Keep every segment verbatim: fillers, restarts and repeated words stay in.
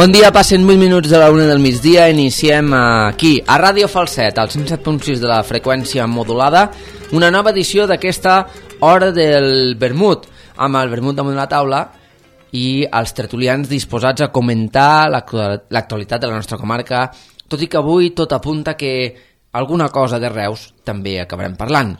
Bon dia, passen vuit minuts de la una del migdia. Iniciem aquí, a Ràdio Falset, al cent set punt sis de la freqüència modulada, una nova edició d'aquesta Hora del Vermut, amb el vermut damunt la taula i els tertulians disposats a comentar l'actualitat de la nostra comarca, tot i que avui tot apunta que alguna cosa de Reus també acabarem parlant.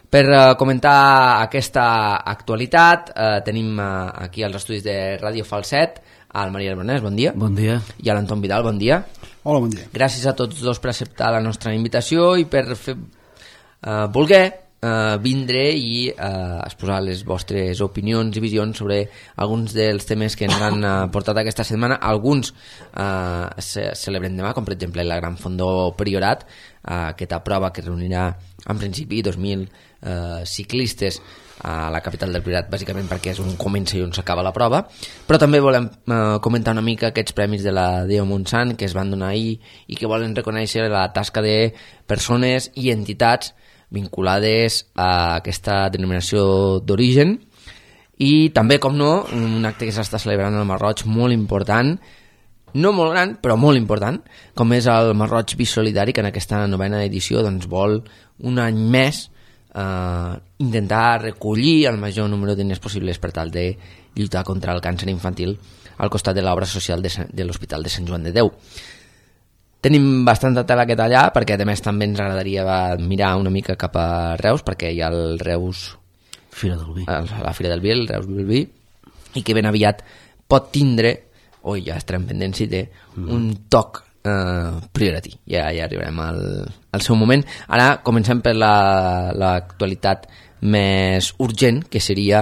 Per uh, comentar aquesta actualitat uh, tenim uh, aquí als estudis de Ràdio Falset al Maria Albonès, bon dia. Bon dia. I a l'Anton Vidal, bon dia. Hola, bon dia. Gràcies a tots dos per acceptar la nostra invitació i per fer, uh, voler uh, vindre i uh, exposar les vostres opinions i visions sobre alguns dels temes que ens han uh, portat aquesta setmana. Alguns uh, se celebren demà, com per exemple la Gran Fondó Priorat, uh, aquesta prova que reunirà en principi dos mil uh, ciclistes a la capital del Priorat, bàsicament perquè és on comença i on s'acaba la prova, però també volem eh, comentar una mica aquests premis de la Déu Montsant que es van donar ahir i que volen reconèixer la tasca de persones i entitats vinculades a aquesta denominació d'origen, i també, com no, un acte que s'està celebrant al Masroig molt important, no molt gran, però molt important, com és el Masroig Bisolidari, que en aquesta novena edició doncs, vol un any més Uh, intentar recollir el major número de diners possibles per tal de lluitar contra el càncer infantil al costat de l'obra social de, de l'Hospital de Sant Joan de Déu. Tenim bastanta tela que tallar, perquè a més també ens agradaria mirar una mica cap a Reus, perquè hi ha el Reus Fira del Vi, la Fira del Vi, el Reus Vil Vi, i que ben aviat pot tindre, o ja estarem pendents si té, mm. un toc Uh, priority. Ja, ja arribarem al, al seu moment. Ara comencem per l'actualitat la, més urgent, que seria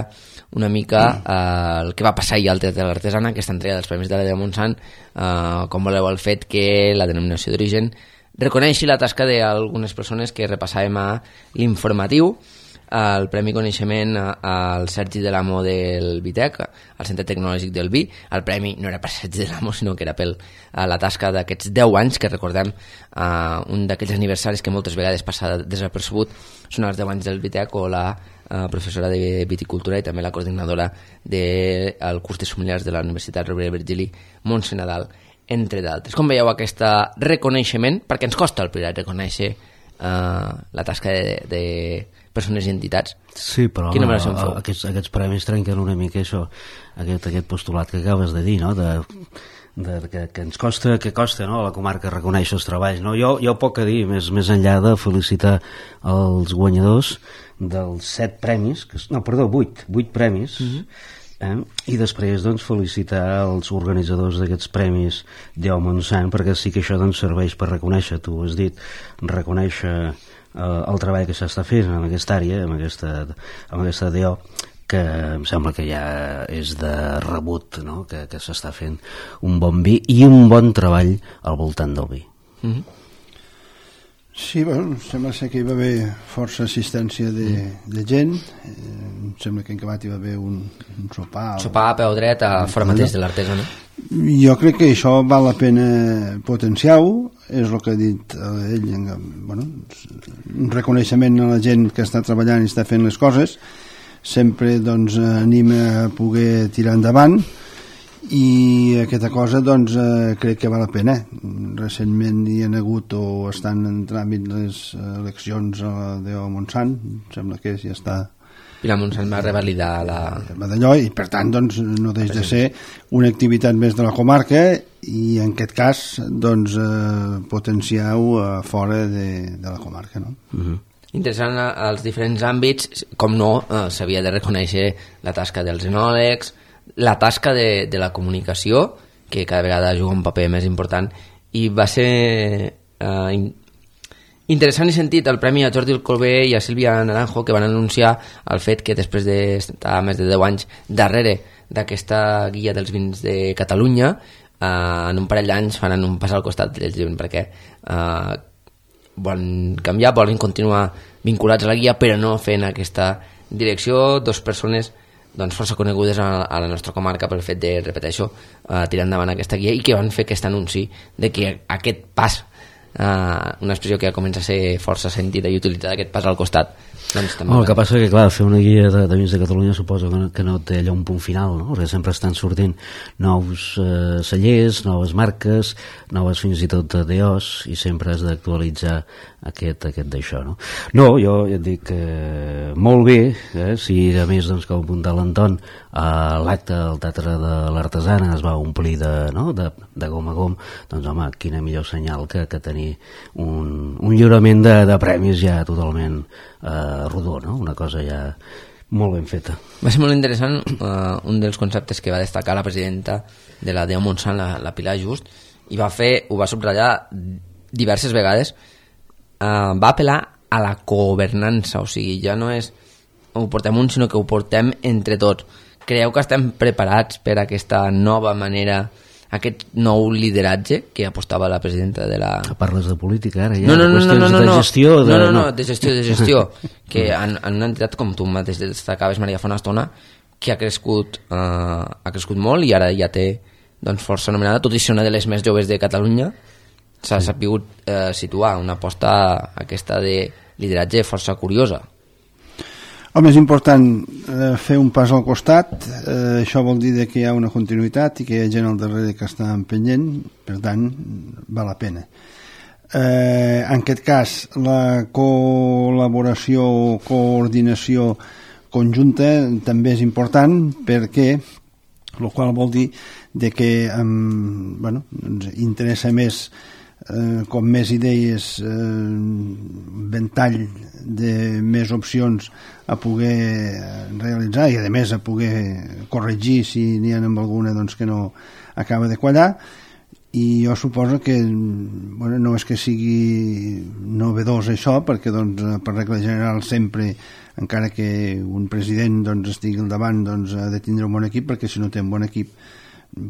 una mica uh, el que va passar ahir al Teatre de l'Artesana, aquesta entrega dels Premis de la Déu Montsant, uh, com voleu el fet que la denominació d'origen reconeixi la tasca d'algunes persones que repassàvem a l'informatiu, el Premi Coneixement al Sergi de l'Amo del Vitec, al Centre Tecnològic del Vi. El premi no era per Sergi de l'Amo, sinó que era per la tasca d'aquests deu anys, que recordem, uh, un d'aquells aniversaris que moltes vegades passa desapercebut són els deu anys del Vitec, o la uh, professora de viticultura i també la coordinadora del curs de sommeliers de la Universitat Rovira i Virgili, Montse Nadal, entre d'altres. Com veieu aquest reconeixement? Perquè ens costa al Priorat reconèixer uh, la tasca de, de persones i entitats. Sí, però home, aquests, aquests premis trenquen una mica això, aquest, aquest postulat que acabes de dir, no? de, de, que, que ens costa, que costa, no? A la comarca reconèixer els treballs, no? Jo, jo poc a dir, més, més enllà de felicitar els guanyadors dels set premis, que, no, perdó, vuit, vuit premis, mm-hmm. eh? I després doncs felicitar els organitzadors d'aquests premis Déu Montsant, perquè sí que això doncs serveix per reconèixer, tu has dit, reconèixer el treball que s'està fent en aquesta àrea, en aquesta, en aquesta D O, que em sembla que ja és de rebut, no? que, que s'està fent un bon vi i un bon treball al voltant del vi. Mm-hmm. Sí, bueno, sembla ser que hi va haver força assistència de, de gent. Eh, em sembla que en acabat hi va haver un, un sopar. Sopar a peu dret a fora mateix de l'Artesana. Jo crec que això val la pena potenciar-ho, és el que ha dit ell, bueno, un reconeixement a la gent que està treballant i està fent les coses, sempre doncs anima a poder tirar endavant, i aquesta cosa doncs eh, crec que val la pena. Recentment hi ha hagut o estan en tràmit les eleccions a la Déu Montsant, sembla que ja està Pilar Montsant va revalidar la... d'allò, i per tant doncs no deix de ser una activitat més de la comarca, i en aquest cas doncs eh, potenciar-ho a fora de, de la comarca, no? Uh-huh. Interessant als diferents àmbits, com no, eh, s'havia de reconèixer la tasca dels enòlegs, la tasca de, de la comunicació, que cada vegada juga un paper més important, i va ser eh, in, interessant i sentit el premi a Jordi Colbé i a Sílvia Naranjo, que van anunciar el fet que després d'estar més de deu anys darrere d'aquesta guia dels vins de Catalunya, eh, en un parell d'anys faran un pas al costat del llibre, perquè eh, volen canviar, volen continuar vinculats a la guia, però no fent aquesta direcció. Dos persones doncs, força conegudes a, a la nostra comarca pel fet de, repeteixo, uh, tirar endavant aquesta guia i que van fer aquest anunci de que aquest pas, uh, una expressió que ja comença a ser força sentida i utilitzada, aquest pas al costat, doncs també... Oh, el que passa que, clar, fer una guia de, de vins de Catalunya suposo que no, que no té allò un punt final, no? Perquè sempre estan sortint nous eh, cellers, noves marques, noves fins i tot D Os, i sempre has d'actualitzar aquest, aquest d'això, no? No, jo ja et dic eh, molt bé, eh, si a més, doncs, que ho apunta l'Anton, eh, l'acte del Teatre de l'Artesana es va omplir de, no? de, de gom a gom, doncs, home, quina millor senyal que, que tenir un, un lliurament de, de premis ja totalment eh, rodó, no? Una cosa ja molt ben feta. Va ser molt interessant uh, un dels conceptes que va destacar la presidenta de la D E O Montsant, la, la Pilar Just, i va fer, ho va subratllar diverses vegades, uh, va apel·lar a la governança, o sigui, ja no és ho portem un, sinó que ho portem entre tots. Creieu que estem preparats per aquesta nova manera, aquest nou lideratge que apostava la presidenta de la... Parles de política ara, ja? No, no, no, no, no, no, de gestió, de... no, no, no, de gestió, de gestió, que en, en una entitat com tu mateix destacaves, Maria, fa una estona, que ha crescut, eh, ha crescut molt i ara ja té, doncs, força anomenada, tot i ser una de les més joves de Catalunya, s'ha sí. sabut eh, situar una aposta aquesta de lideratge força curiosa. Home, és important eh, fer un pas al costat, eh, això vol dir que hi ha una continuïtat i que hi ha gent al darrere que està empenyent, per tant, val la pena. Eh, en aquest cas, la col·laboració o coordinació conjunta també és important perquè, el qual vol dir de que um, bueno, ens interessa més Eh, com més idees, eh, ventall de més opcions a poder realitzar i a més a poder corregir si n'hi ha amb alguna doncs, que no acaba de quallar, i jo suposo que bueno, no és que sigui novedós això, perquè doncs, per regla general sempre, encara que un president doncs, estigui al davant, doncs, ha de tindre un bon equip, perquè si no té un bon equip,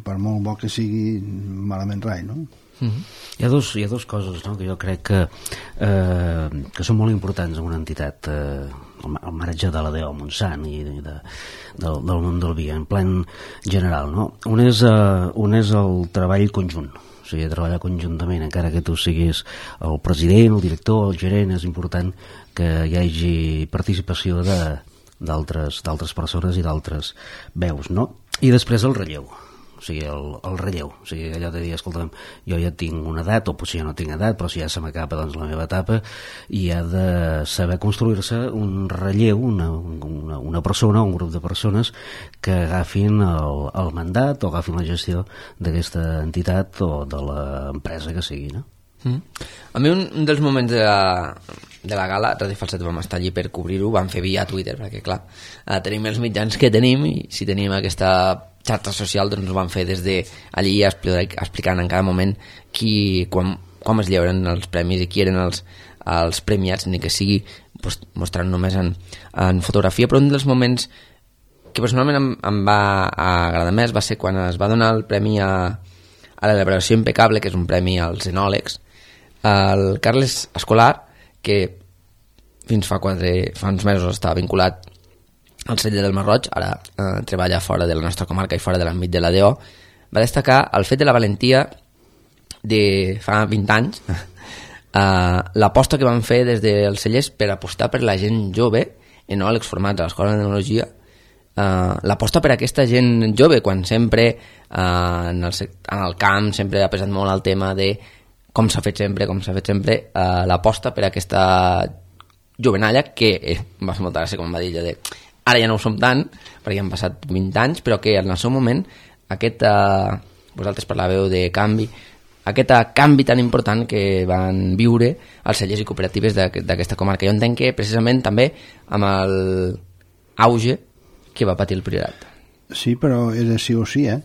per molt bo que sigui, malament rai, no? Mm-hmm. Hi ha dos, hi ha dos coses, no?, que jo crec que, eh, que són molt importants en una entitat, eh, al marge de la D E O Montsant i de, de, del, del món del vi en plan general, no? Un és, eh, un és el treball conjunt, o sigui, treballar conjuntament, encara que tu siguis el president, el director, el gerent, és important que hi hagi participació de, d'altres, d'altres persones i d'altres veus, no? I després el relleu, o sigui, el, el relleu, o sigui, allò de dir, escolta'm, jo ja tinc una edat, o potser ja no tinc edat, però si ja se m'acaba doncs, la meva etapa, i ha de saber construir-se un relleu, una, una, una persona, un grup de persones que agafin el, el mandat o agafin la gestió d'aquesta entitat o de l'empresa que sigui, no? Mm. A mi un, un dels moments de la, de la gala, Ràdio Falset vam estar allí per cobrir-ho, vam fer via Twitter, perquè clar, eh, tenim els mitjans que tenim i si tenim aquesta xarxa social doncs ho van fer des de allí explicant en cada moment qui, quan, quan es lliuren els premis i qui eren els, els premiats, ni que sigui pues, mostrant només en, en fotografia, però un dels moments que personalment em, em va agradar més va ser quan es va donar el premi a, a l'elaboració impecable, que és un premi als enòlegs, el Carles Escolar, que fins fa, quatre, fa uns mesos estava vinculat al celler del Marroig, ara eh, treballa fora de la nostra comarca i fora de l'àmbit de la D E O, va destacar el fet de la valentia de fa vint anys, eh, l'aposta que van fer des dels cellers per apostar per la gent jove, enòlegs formats a l'Escola d'Enologia, eh, l'aposta per aquesta gent jove, quan sempre eh, en, el, en el camp sempre ha pesat molt el tema de com s'ha fet sempre, com s'ha fet sempre, eh, l'aposta per aquesta jovenalla que eh, va fer molta gràcia, com va dir ella, de ara ja no ho som tant, perquè han passat vint anys, però que en el seu moment aquest, eh, vosaltres parlàveu de canvi, aquest canvi tan important que van viure els cellers i cooperatives d'aquesta comarca. Jo entenc que precisament també amb l'auge que va patir el Priorat. Sí, però era sí o sí, eh?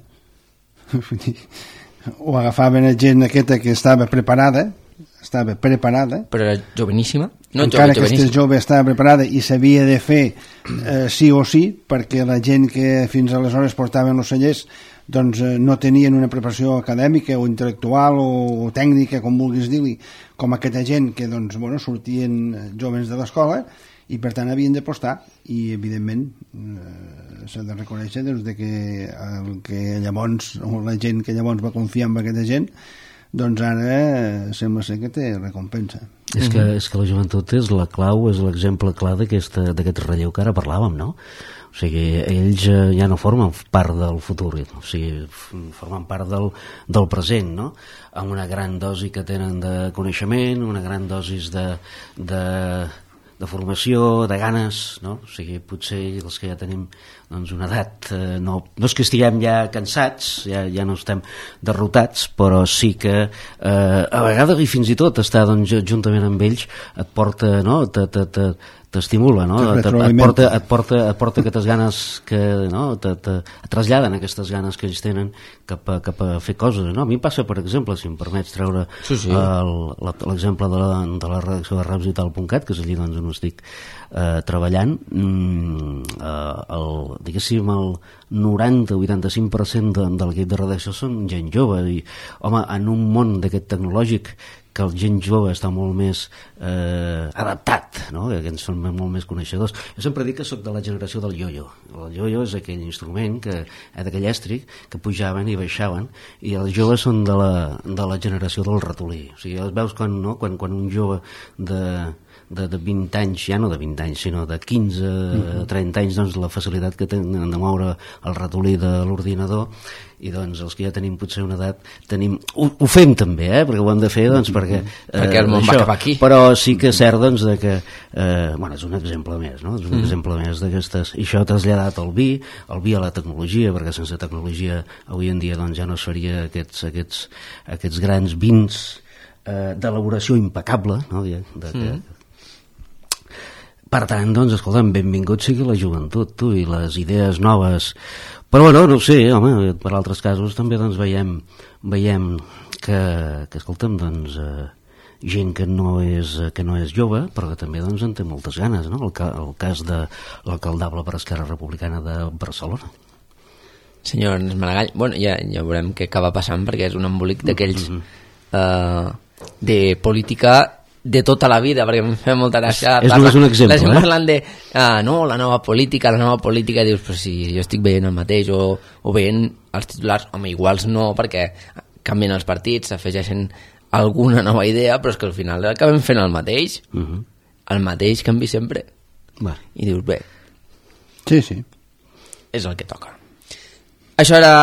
O agafaven gent aquesta que estava preparada, estava preparada, però era joveníssima, no encara jove, que aquesta jove estava preparada i s'havia de fer eh, sí o sí, perquè la gent que fins aleshores portaven els cellers doncs eh, no tenien una preparació acadèmica o intel·lectual o, o tècnica, com vulguis dir-li, com aquesta gent que doncs, bueno, sortien joves de l'escola i per tant havien d'apostar, i evidentment eh, s'ha de reconèixer doncs, de que el que llavors, o la gent que llavors va confiar en aquesta gent, doncs ara eh, sembla ser que té recompensa. És que, és que la joventut és la clau, és l'exemple clar d'aquest relleu que ara parlàvem, no? O sigui, ells ja no formen part del futur, o sigui, formen part del, del present, no? Amb una gran dosi que tenen de coneixement, una gran dosis de, de, de formació, de ganes, no? O sigui, potser els que ja tenim doncs, una edat, eh, no, no és que estiguem ja cansats, ja, ja no estem derrotats, però sí que eh, a vegades, i fins i tot estar doncs, juntament amb ells et porta, no? te, te, te, t'estimula, no? Et, et, porta, et, porta, et porta aquestes ganes que, no? te, te, et traslladen aquestes ganes que ells tenen cap a, cap a fer coses, no? A mi em passa, per exemple, si em permets treure sí, sí. l'exemple de, la, de la redacció de rapsvital punt cat, que és allí doncs, on estic eh, treballant, mm, eh, el, diguéssim el noranta o vuitanta-cinc per cent de, de l'equip de redacció són gent jove, i home, en un món d'aquest tecnològic que el gent jove està molt més eh, adaptat, no? Que ens són molt més coneixedors. Jo sempre dic que sóc de la generació del yo-yo. El yo-yo és aquell instrument, que, eh, d'aquell èstric, que pujaven i baixaven, i els joves són de la, de la generació del ratolí. O sigui, els veus quan, no? quan, quan un jove de... De, de vint anys, ja no de vint anys, sinó de quinze a trenta anys, doncs la facilitat que tenen de moure el ratolí de l'ordinador, i doncs els que ja tenim potser una edat tenim, ho, ho fem també, eh? Perquè ho hem de fer doncs, perquè, eh, perquè el món això, va cap aquí, però sí que és cert doncs, de que eh, bueno, és un exemple més, no? És un mm. exemple més d'aquestes, i això traslladat al vi, el vi a la tecnologia, perquè sense tecnologia avui en dia doncs, ja no es faria aquests, aquests, aquests grans vins eh, d'elaboració impecable, no? De, de, mm. que, per tant, doncs, escolta'm, benvingut sigui la joventut, tu, i les idees noves. Però, bueno, no ho sé, home, per altres casos també, doncs, veiem, veiem que, que escolta'm, doncs, eh, gent que no, és, que no és jove, però que també, doncs, en té moltes ganes, no? El, ca, el cas de l'alcaldable per Esquerra Republicana de Barcelona. Senyor Ernest Maragall, bueno, ja, ja veurem què acaba passant, perquè és un embolic d'aquells mm-hmm. eh, de política de tota la vida, perquè em fa molta gràcia. És només un exemple, la gent eh? parlant de, ah, no, la nova política, la nova política, dius, però si jo estic veient el mateix, o, o veient els titulars, home, iguals no, perquè canvien els partits, s'afegeixen alguna nova idea, però és que al final acabem fent el mateix, uh-huh. el mateix canvi sempre. Va. I dius, bé, sí, sí. és el que toca. Això era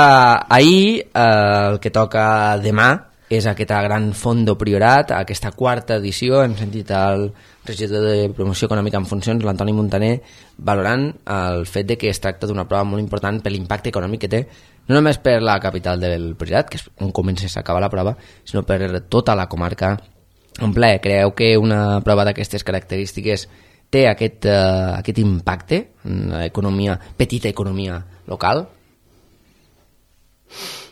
ahir, eh, el que toca demà, és aquesta gran Fondo Priorat, aquesta quarta edició. Hem sentit el regidor de Promoció Econòmica en Funcions, l'Antoni Montaner, valorant el fet de que es tracta d'una prova molt important per l'impacte econòmic que té, no només per la capital del Priorat, que és on comença a acabar la prova, sinó per tota la comarca en ple. Creu que una prova d'aquestes característiques té aquest, uh, aquest impacte en l'economia, petita economia local?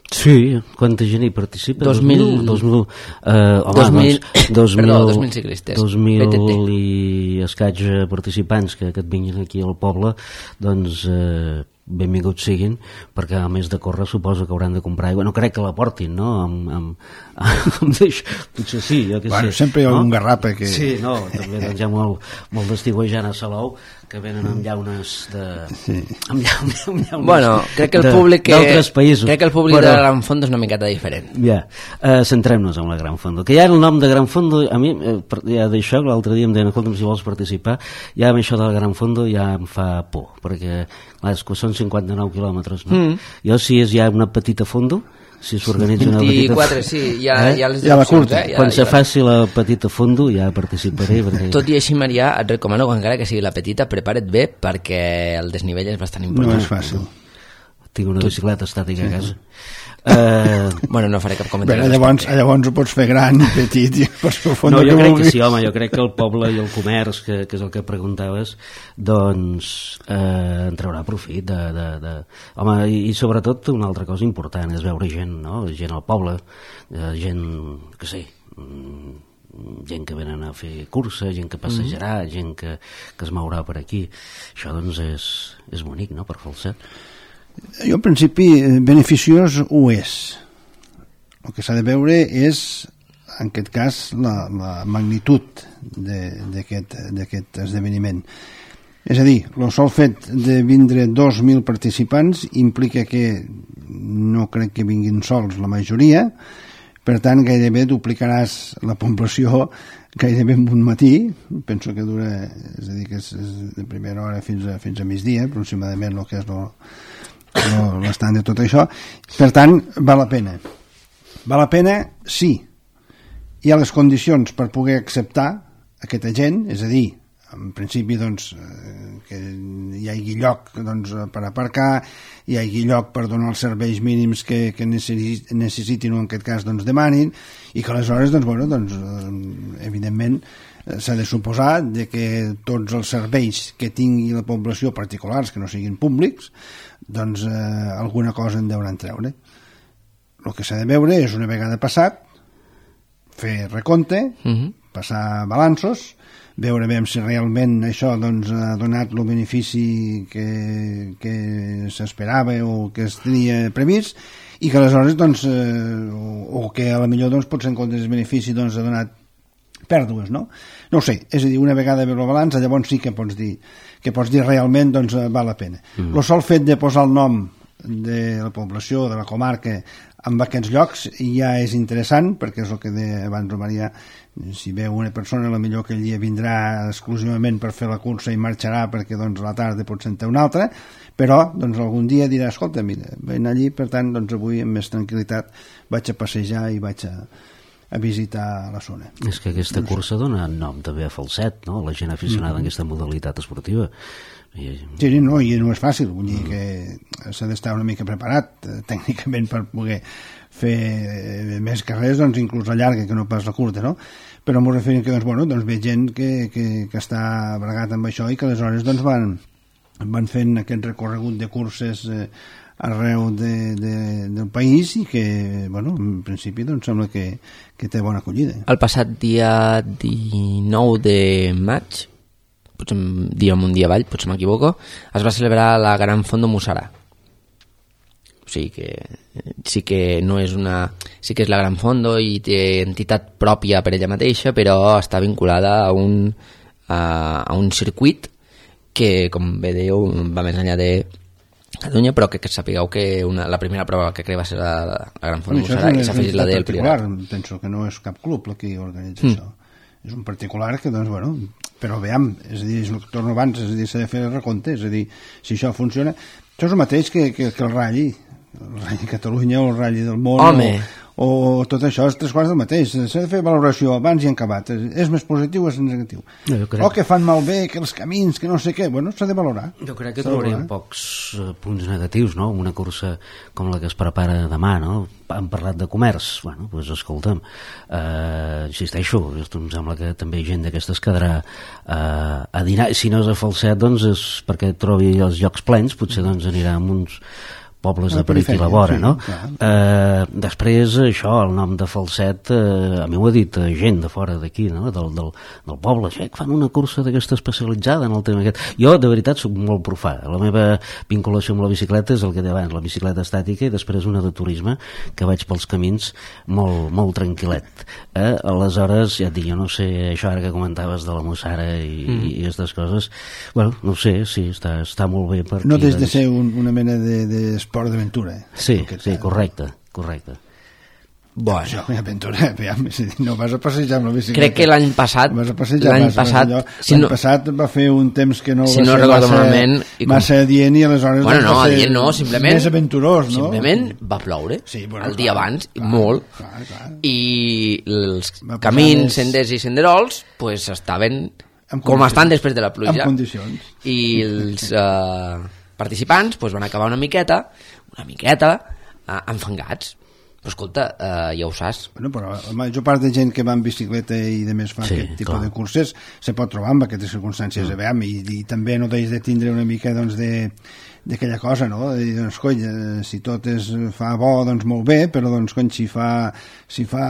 Sí, quanta gent hi participa? dos mil... dos mil, eh, home, dos mil, doncs, dos mil, perdó, dos mil ciclistes. dos mil i escaig participants que, que et vinguin aquí al poble, doncs eh, benvinguts siguin, perquè a més de córrer suposo que hauran de comprar aigua. No crec que la portin, no? Amb, amb, amb deix... Potser sí, jo que bueno, sé. Sempre hi ha no? un garrapa que... Sí, no, també doncs, hi ha molt, molt d'estigüejant a Salou, que venen amb llaunes de... Sí. Amb llaunes, amb llaunes bueno, crec que el públic que... d'altres països. Crec que el públic però... de Gran Fondo és una miqueta diferent. Ja, uh, centrem-nos en la Gran Fondo. Que ja el nom de Gran Fondo, a mi, eh, ja d'això, l'altre dia em deien, escolta'm, si vols participar, ja amb això del Gran Fondo ja em fa por, perquè clar, són cinquanta-nou quilòmetres, no? Mm. Jo, si és ja una petita fondo, si s'organitza una petita... vint-i-quatre, sí, ja, eh? ja les ja la curta. Eh? Ja, quan ja, se ja. faci la petita fondo ja participaré. Perquè... Tot i així, Marià, et recomano que encara que sigui la petita, prepara't bé, perquè el desnivell és bastant important. No és fàcil. Tinc una bicicleta estàtica a casa. Uh... Bueno, no faré cap comentari. Bé, llavors, llavors ho pots fer gran, petit, i pots fer fondo no, jo que crec vulguis. que sí, home, jo crec que el poble i el comerç, que, que és el que preguntaves, doncs eh, en traurà profit de, de, de... Home, i, i sobretot una altra cosa important és veure gent, no? Gent al poble, eh, gent, que sé, gent que venen a fer cursa, gent que passejarà, mm-hmm. gent que, que es mourà per aquí. Això doncs és, és bonic, no?, per Falset. Jo, en principi, beneficiós ho és. El que s'ha de veure és en aquest cas, la, la magnitud d'aquest esdeveniment. És a dir, el sol fet de vindre dos mil participants implica que no crec que vinguin sols la majoria, per tant, gairebé duplicaràs la població gairebé en un matí, penso que dura, és a dir, que és, és de primera hora fins a, fins a migdia, aproximadament el que és l'estant de tot això. Per tant, val la pena. Val la pena, sí. Hi ha les condicions per poder acceptar aquesta gent, és a dir, en principi doncs, que hi hagi lloc doncs, per aparcar, hi hagi lloc per donar els serveis mínims que, que necessitin o en aquest cas doncs, demanin, i que aleshores doncs, bueno, doncs, evidentment s'ha de suposar de que tots els serveis que tingui la població particulars que no siguin públics doncs eh, alguna cosa en deuran treure. El que s'ha de veure és una vegada passat fer recompte, uh-huh. passar balanços, veure bé si realment això doncs, ha donat el benefici que, que s'esperava o que es tenia previst, i que aleshores doncs, eh, o, o que a la millor doncs, potser en comptes del benefici doncs, ha donat pèrdues, no? No ho sé, és a dir, una vegada veure el balanç, llavors sí que pots dir que pots dir realment doncs, val la pena. Mm. El sol fet de posar el nom de la població, de la comarca, en aquests llocs ja és interessant, perquè és el que deia abans el Marià, si veu una persona, la millor que ell vindrà exclusivament per fer la cursa i marxarà perquè doncs, a la tarda pot sentir una altra, però doncs, algun dia dirà, escolta, mira, vaig allí, per tant, doncs, avui amb més tranquil·litat vaig a passejar i vaig a, a visitar la zona. És que aquesta no cursa sé. Dona nom també a Falset, no? La gent aficionada mm-hmm. en aquesta modalitat esportiva. I... Sí, no, i no és fàcil, vull dir que s'ha d'estar una mica preparat eh, tècnicament per poder fer eh, més carrers, doncs inclús la llarga que no pas la curta, no? Però m'ho referim que doncs, bueno, doncs ve gent que, que, que està bregat amb això i que aleshores doncs, van, van fent aquest recorregut de curses eh, arreu de, de, del país i que, bueno, en principi doncs sembla que, que té bona acollida. El passat dia dinou de maig, potser diem un dia avall, potser m'equivoco, es va celebrar la Gran Fondo Mussarà. O sigui que sí que no és una... sí que és la Gran Fondo i té entitat pròpia per ella mateixa, però està vinculada a un, a, a un circuit que, com bé dèieu, va més enllà de Catalunya, però que, que sapigueu que una, la primera prova que crec va ser la, la Gran Fondo bueno, Mussarà i s'ha afegit la del Priorat. Penso que no és cap club el que organitza mm. això. És un particular que, doncs, bueno, però veiem, és a dir, és el que torno abans, és a dir, s'ha de fer el recompte, és a dir, si això funciona, això és el mateix que, que, que el Rally, el Rally Catalunya o el Rally del món, Home. o, o tot això, és tres quarts del mateix, s'ha de fer valoració abans i en acabat, és, és més positiu o és negatiu, no, crec... o que fan malbé, que els camins, que no sé què, bueno, s'ha de valorar. Jo crec que trobaríem pocs uh, punts negatius, no?, una cursa com la que es prepara demà, no?, han parlat de comerç, bueno, doncs escolta'm, eh, insisteixo, em sembla que també gent d'aquestes quedarà eh, a dinar, si no és a Falset, doncs és perquè trobi els llocs plens, potser doncs anirà amb uns pobles de per aquí a la vora, sí, no? Eh, després, això, el nom de Falset, eh, a mi ho ha dit eh, gent de fora d'aquí, no? del, del, del poble, ja que fan una cursa d'aquesta especialitzada en el tema aquest. Jo, de veritat, soc molt profà. La meva vinculació amb la bicicleta és el que deia abans, la bicicleta estàtica i després una de turisme, que vaig pels camins molt, molt tranquil·let. Eh? Aleshores, ja et dic, jo no sé, això ara que comentaves de la Mussara i, mm. i aquestes coses, bueno, no sé, sí, està, està molt bé per no aquí. No des de ser un, una mena de, de esport d'aventura. Eh? Sí, sí, correcte, correcte. Bueno, això, aventura, no vas a passejar amb la bicicleta. Crec que l'any passat, l'any passat, allò, si l'any no, passat va fer un temps que no si va no ser massa, malament, i com... massa adient i aleshores bueno, no, va ser adient no, simplement, més aventurós, no? Simplement va ploure sí, bueno, el dia clar, abans, clar, molt, clar, clar. I els camins, més... senders i senderols pues, estaven com estan després de la pluja. En condicions. I els uh, participants pues, van acabar una miqueta, una miqueta uh, enfangats. Però escolta, uh, ja ho saps. Bueno, però la major part de gent que va en bicicleta i de més fa sí, aquest tipus clar. de curses se pot trobar amb aquestes circumstàncies, mm. veiem, i, i també no deixes de tindre una mica doncs, de, d'aquella cosa, no? I, doncs, cony, si tot es fa bo, doncs molt bé, però doncs, cony, si fa, si fa,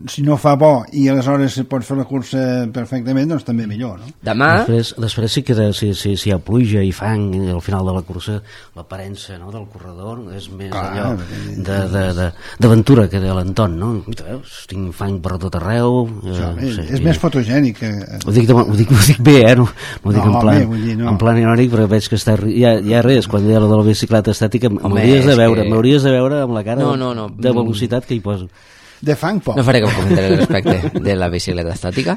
si no fa bo i aleshores se pot fer la cursa perfectament, doncs també millor, no? Demà... Després, després sí que de, si, si, si hi ha pluja i fang al final de la cursa, l'aparença, no?, del corredor és més Clar, allò d'aventura que de l'entorn, no? Veus, tinc fang per tot arreu... Eh, Això, és, sí, és i... més fotogènic. Que... Ho, dic de, ho, dic, ho dic bé, eh? No, no ho dic no, en plan, bé, dir, no. en plan irònic, però veig que està... Ja, ja res, quan hi ha la de la bicicleta estàtica, m'hauries de veure, que... m'hauries de veure amb la cara no, no, no. de velocitat que hi poso. De fang poc. No faré cap comentari al respecte de la bicicleta estàtica.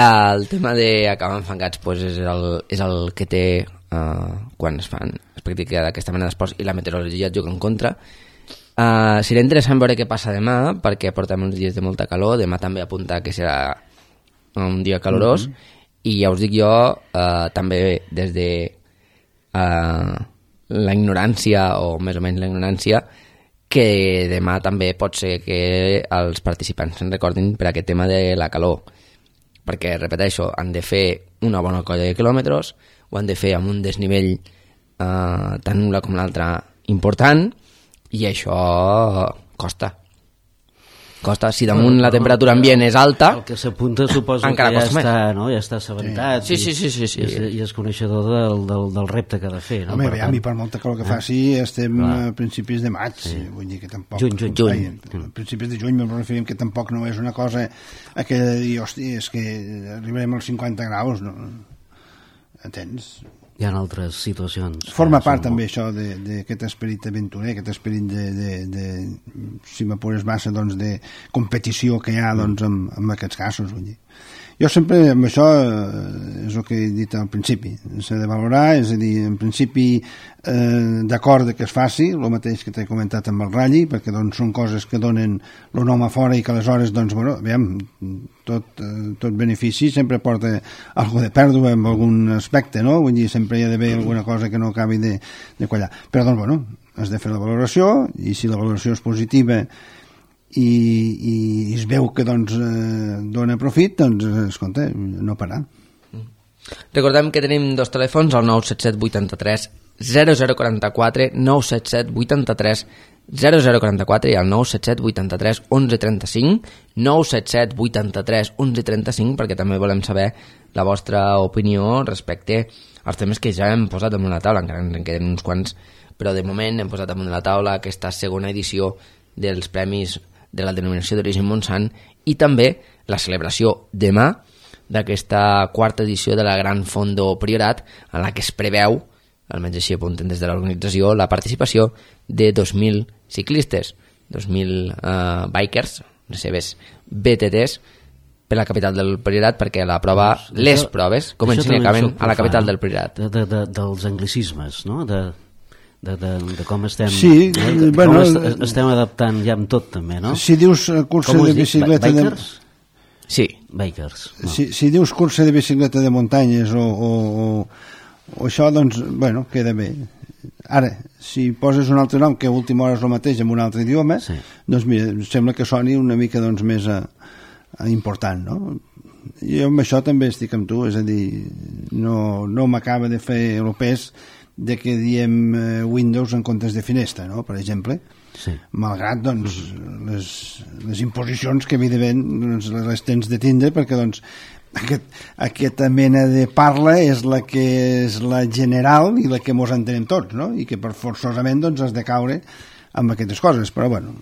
El tema d'acabar enfangats pues, és, el, és el que té uh, quan es fan es practica d'aquesta mena d'esports i la meteorologia et juga en contra. Uh, serà interessant veure què passa demà, perquè portem uns dies de molta calor. Demà també apunta que serà un dia calorós, mm-hmm. i ja us dic jo, uh, també des de uh, la ignorància, o més o menys la ignorància, que demà també pot ser que els participants se'n recordin per aquest tema de la calor, perquè, repeteixo, han de fer una bona colla de quilòmetres, ho han de fer amb un desnivell eh, tant una com l'altra important, i això costa. Costa. Si damunt la temperatura ambient és alta, el que s'apunta suposo que ja està, no? ja està assabentat, sí, sí, sí, sí, sí. I, és, i és coneixedor del, del, del repte que ha de fer, no? Home, per a mi per molta calor que faci estem Clar. a principis de maig, sí. vull dir que tampoc juny, juny, juny. Ai, a principis de juny me'n referim que tampoc no és una cosa a que dir, hosti, és que arribarem als cinquanta graus, no? Entens? Hi ha altres situacions. Forma part també molt... això d'aquest esperit aventurer, aquest esperit de, de, de si m'apures massa, doncs, de competició que hi ha doncs, en, en aquests casos. Vull dir. Jo sempre, amb això, és el que he dit al principi, s'ha de valorar, és a dir, en principi eh, d'acord que es faci, el mateix que t'he comentat amb el Ralli, perquè doncs, són coses que donen el nom a fora i que aleshores, doncs, bueno, veiem, tot, eh, tot benefici sempre porta alguna de pèrdua en algun aspecte, no? Vull dir, sempre hi ha d'haver alguna cosa que no acabi de, de quallar. Però, doncs, bueno, has de fer la valoració, i si la valoració és positiva i, i es veu que doncs, eh, dona profit, doncs, escolta, no parar. Recordem que tenim dos telèfons, el nou set set vuit tres zero zero quatre quatre, nou set set vuit tres zero zero quatre quatre i el nou set set vuit tres onze trenta cinc, nou set set vuit tres onze trenta cinc, perquè també volem saber la vostra opinió respecte als temes que ja hem posat damunt la taula, encara en queden uns quants, però de moment hem posat damunt la taula aquesta segona edició dels premis de la denominació d'origen Montsant i també la celebració demà d'aquesta quarta edició de la Gran Fondo Priorat, en la que es preveu, almenys així apunten des de l'organització, la participació de dos mil ciclistes, dos mil uh, bikers, les seves B T Ts, per la capital del Priorat, perquè la prova, doncs, les això, proves comencen i acaben a la capital del Priorat. De, de, de, dels anglicismes, no?, de... De, de, de com estem sí, eh? de, bueno, com est, estem adaptant ja amb tot també, no? Si dius cursa de bicicleta de... Sí, bikers no. si, si dius cursa de bicicleta de muntanyes o, o, o, o això, doncs, bueno, queda bé. Ara, si poses un altre nom que a última hora és el mateix amb un altre idioma, sí. doncs mira, sembla que soni una mica doncs, més a, a important, no? Jo amb això també estic amb tu, és a dir, no, no m'acaba de fer el pes de que diem eh, Windows en comptes de finestra, no?, per exemple, sí. malgrat doncs, les, les imposicions que evidentment doncs, les tens de tindre, perquè doncs, aquest, aquesta mena de parla és la que és la general i la que mos entenem tots, no?, i que per forçosament doncs, has de caure amb aquestes coses, però bueno,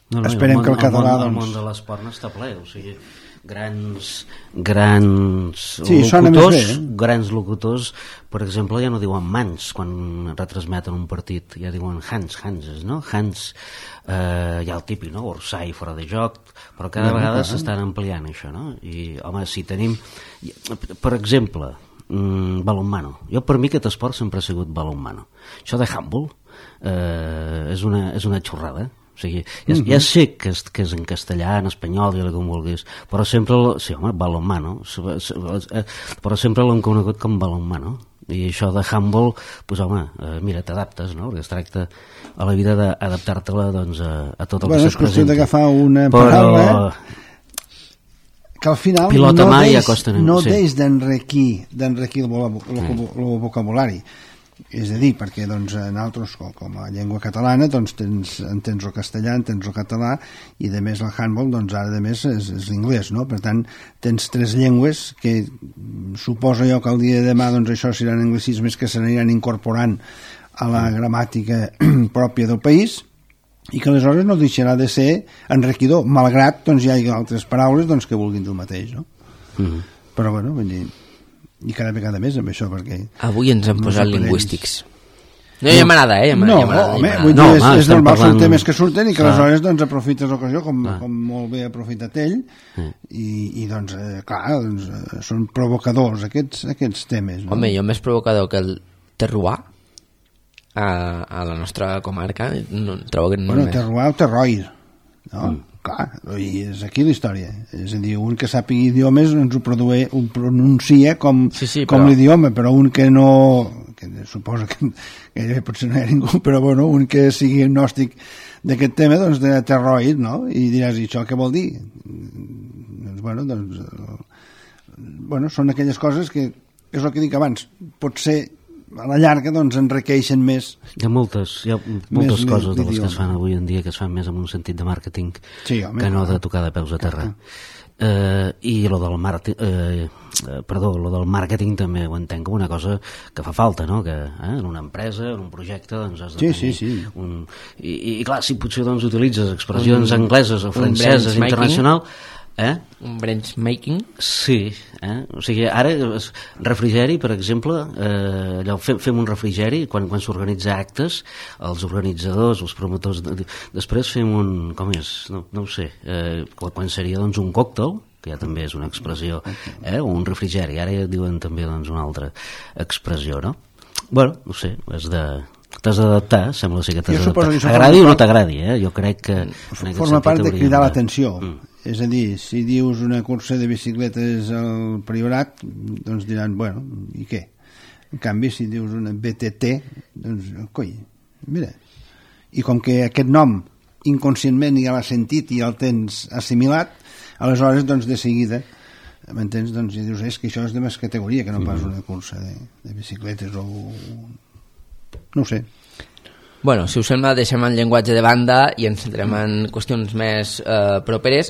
no, no, esperem el món, que el català... El món, doncs... el món de l'esport no està ple, o sigui... grans grans sí, locutors bé, eh? grans locutors, per exemple, ja no diuen mans quan retransmeten un partit, ja diuen hands, hanses, no? Hands, eh, hi ha el típic, no? Orsay fora de joc, però cada no, vegada no, s'estan ampliant això, no? I, home, si tenim per exemple, mmm, balonmano, jo per mi aquest esport sempre ha sigut balonmano, això de handball eh, és, una, és una xorrada. O sigui, ja, ja sé que és, que és en castellà, en espanyol, i com vulguis, però sempre, sí, home, balonmano, però sempre l'hem conegut com balonmano, i això de handball, doncs home, eh, mira, t'adaptes, no?, perquè es tracta a la vida d'adaptar-te-la doncs, a, a tot el bueno, que se't presenta. És qüestió d'agafar una paraula però... que al final pilota no mà deix, ja costa, no sí. deix d'enriquir d'enriquir el, el, el, el vocabulari. És a dir, perquè doncs, en altres, com a llengua catalana, doncs, tens, entens el castellà, entens el català, i de més el handball, doncs ara de més és, és l'inglès, no? Per tant, tens tres llengües que suposo jo que el dia de demà doncs, això seran anglicismes que s'aniran incorporant a la gramàtica pròpia del país, i que aleshores no deixarà de ser enriquidor, malgrat doncs, hi hagi altres paraules doncs, que vulguin dir el mateix, no? Mm-hmm. Però bueno, vull dir, i cada vegada més amb això, perquè avui ens han posat lingüístics. No, ja m'agrada, eh? Ja no, ja home, vull dir, no, és, és normal, parlant... són temes que surten i que aleshores doncs, aprofites l'ocasió, com, ah. com molt bé ha aprofitat ell, mm. i, i doncs, eh, clar, doncs, eh, són provocadors aquests, aquests temes. No? Home, jo més provocador que el terroir a, a la nostra comarca, no, trobo que no bueno, més. Terroir o terroir, no? Mm. Clar, i és aquí la història, és a dir, un que sàpiga idiomes ens ho produeix, ho pronuncia com, sí, sí, com però... l'idioma, però un que no, que suposo que gairebé potser no hi ha ningú, però bueno, un que sigui agnòstic d'aquest tema, doncs de terroid, no? I diràs, i això què vol dir? Doncs bueno, doncs bueno, són aquelles coses que és el que dic abans, potser a la llarga doncs enriqueixen més. Hi ha moltes, hi ha moltes coses de les que es fan avui en dia que es fan més amb un sentit de màrqueting sí, home, que no de tocar de peus a terra. Eh, i lo del, marti, eh, perdó, lo del màrqueting també ho entenc com una cosa que fa falta, no? Que eh, en una empresa, en un projecte doncs has de sí, tenir sí, sí. un... I, i clar, si potser doncs utilitzes expressions un, angleses o franceses internacional, eh? Un branch making. Sí, eh? O sigui, ara refrigeri, per exemple, eh, allò, fem, fem un refrigeri quan, quan s'organitza actes, els organitzadors, els promotors, de, després fem un, com és, no, no ho sé, eh, quan seria doncs un còctel, que ja també és una expressió, eh? O un refrigeri, ara ja diuen també doncs una altra expressió, no? Bueno, no sé, és de... T'has d'adaptar, sembla ser que t'has d'adaptar. Agradi o no t'agradi, eh? Jo crec que... Forma part de cridar l'atenció. Mm. És a dir, si dius una cursa de bicicletes al Priorat, doncs diran, bueno, i què? En canvi, si dius una B T T, doncs, coi, mira. I com que aquest nom inconscientment ja l'has sentit i el tens assimilat, aleshores, doncs, de seguida, m'entens? Doncs, i dius, és que això és de més categoria que no pas una cursa de, de bicicletes o... no ho sé. Bueno, si us sembla, deixem el llenguatge de banda i ens centrem en qüestions més eh, properes,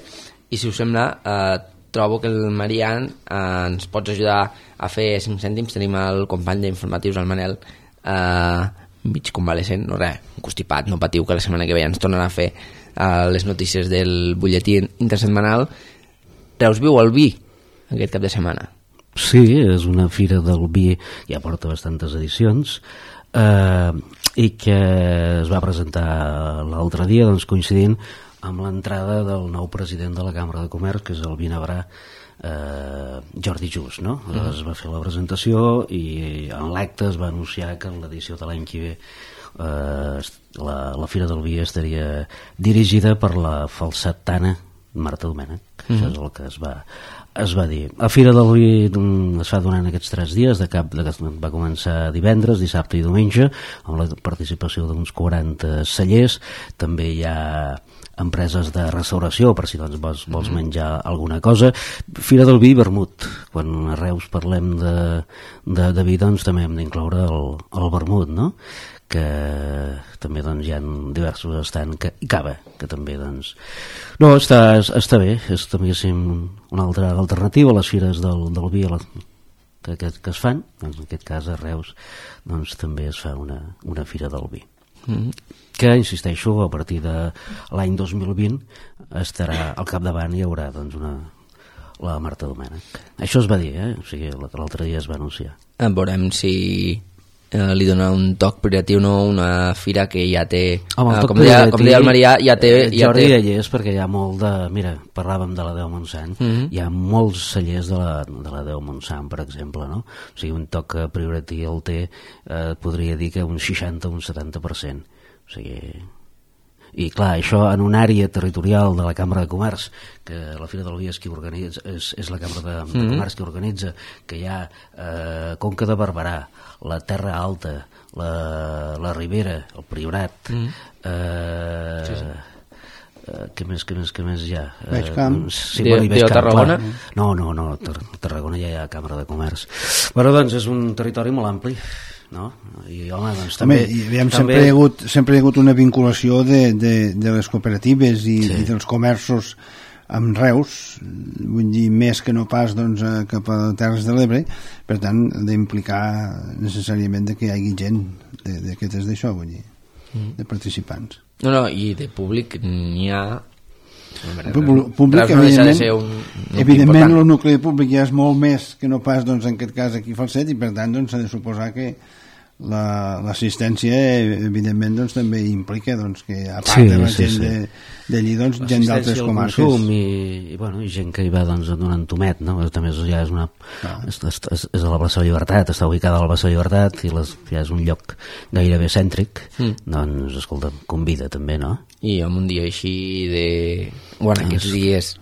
i si us sembla, eh, trobo que el Marian eh, ens pots ajudar a fer cinc cèntims. Tenim el company d'informatius, el Manel, eh, mig convalescent, no res, constipat, no patiu, que la setmana que ve ens tornarà a fer eh, les notícies del butlletí intersetmanal. Reus viu el vi aquest cap de setmana. Sí, és una fira del vi, ja porta bastantes edicions, eh, i que es va presentar l'altre dia, doncs, coincidint amb l'entrada del nou president de la Cambra de Comerç, que és el vinabrà eh, Jordi Just, no? Mm. Es va fer la presentació i en l'acte es va anunciar que en l'edició de l'any que ve eh, la, la Fira del Vi estaria dirigida per la falsetana Marta Domènech. Mm. Això és el que es va es va dir. La Fira del Vi es fa durant aquests tres dies, de cap de, va començar divendres, dissabte i diumenge, amb la participació d'uns quaranta cellers. També hi ha empreses de restauració, per si doncs vols, vols menjar alguna cosa. Fira del Vi i vermut. Quan a Reus parlem de, de, de vi, doncs també hem d'incloure el, el vermut, no? Que també doncs, hi ha diversos estants, que, i cava, que també doncs... No, està, està bé, és també una altra alternativa a les fires del, del vi la, que, que, que es fan, doncs, en aquest cas a Reus doncs, també es fa una, una fira del vi. Mm-hmm. Que, insisteixo, a partir de l'any dos mil vint estarà al capdavant, hi haurà doncs, una, la Marta Domènech. Això es va dir, eh? O sigui, l'altre dia es va anunciar. Veurem si... Eh, li dona un toc privatiu, no? Una fira que ja té, home, eh, com, deia, com deia el Marià, ja té... Ja Jordi té... hi és perquè hi ha molt de... Mira, parlàvem de la Déu Montsant, mm-hmm. Hi ha molts cellers de la, de la Déu Montsant, per exemple, no? O sigui, un toc privatiu el té, eh, podria dir que un seixanta o un setanta per cent. O sigui... I clar, això en una àrea territorial de la Cambra de Comerç, que la Fira del Vi és, qui organitza, és, és la Cambra de, de Comerç que organitza, que hi ha eh, Conca de Barberà, la Terra Alta, la, la Ribera, el Priorat, mm. eh, sí, sí. eh, què més, què més, què més hi ha? Baixcamp. Eh, sí, bueno, de Tarragona? Clar. No, no, no, a Tarragona ja hi ha Cambra de Comerç. Bueno, doncs és un territori molt ampli, no? I, home, doncs també... Home, i, aviam, també... sempre, hi ha hagut, sempre hi ha hagut una vinculació de, de, de les cooperatives i, sí. i dels comerços amb Reus, vull dir, més que no pas doncs, cap a Terres de l'Ebre, per tant, d'implicar necessàriament de que hi hagi gent d'aquestes d'això, vull dir, mm. de participants. No, no, i de públic n'hi ha... Públic, no evidentment, de un, evidentment el nucli públic ja és molt més que no pas doncs, en aquest cas aquí a Falset, i per tant doncs, s'ha de suposar que l'assistència la, evidentment doncs, també implica doncs, que a part sí, de la sí, gent sí. d'allí doncs, gent d'altres comarques i, i, bueno, i gent que hi va doncs, donant tomet, no? També ja és una ah. és, és, és a la plaça de Llibertat, està ubicada a la plaça de Llibertat i les, ja és un lloc gairebé cèntric, mm. doncs escolta, convida també, no? I en un dia així de... Bueno, aquests dies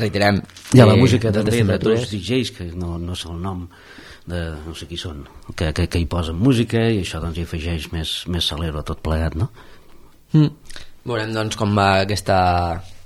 reiterem hi ha la música de, també de dos D Js que no, no sé el nom de no sé qui són, que, que, que hi posen música i això doncs hi afegeix més, més salero a tot plegat, no? Mm. Veurem doncs com va aquesta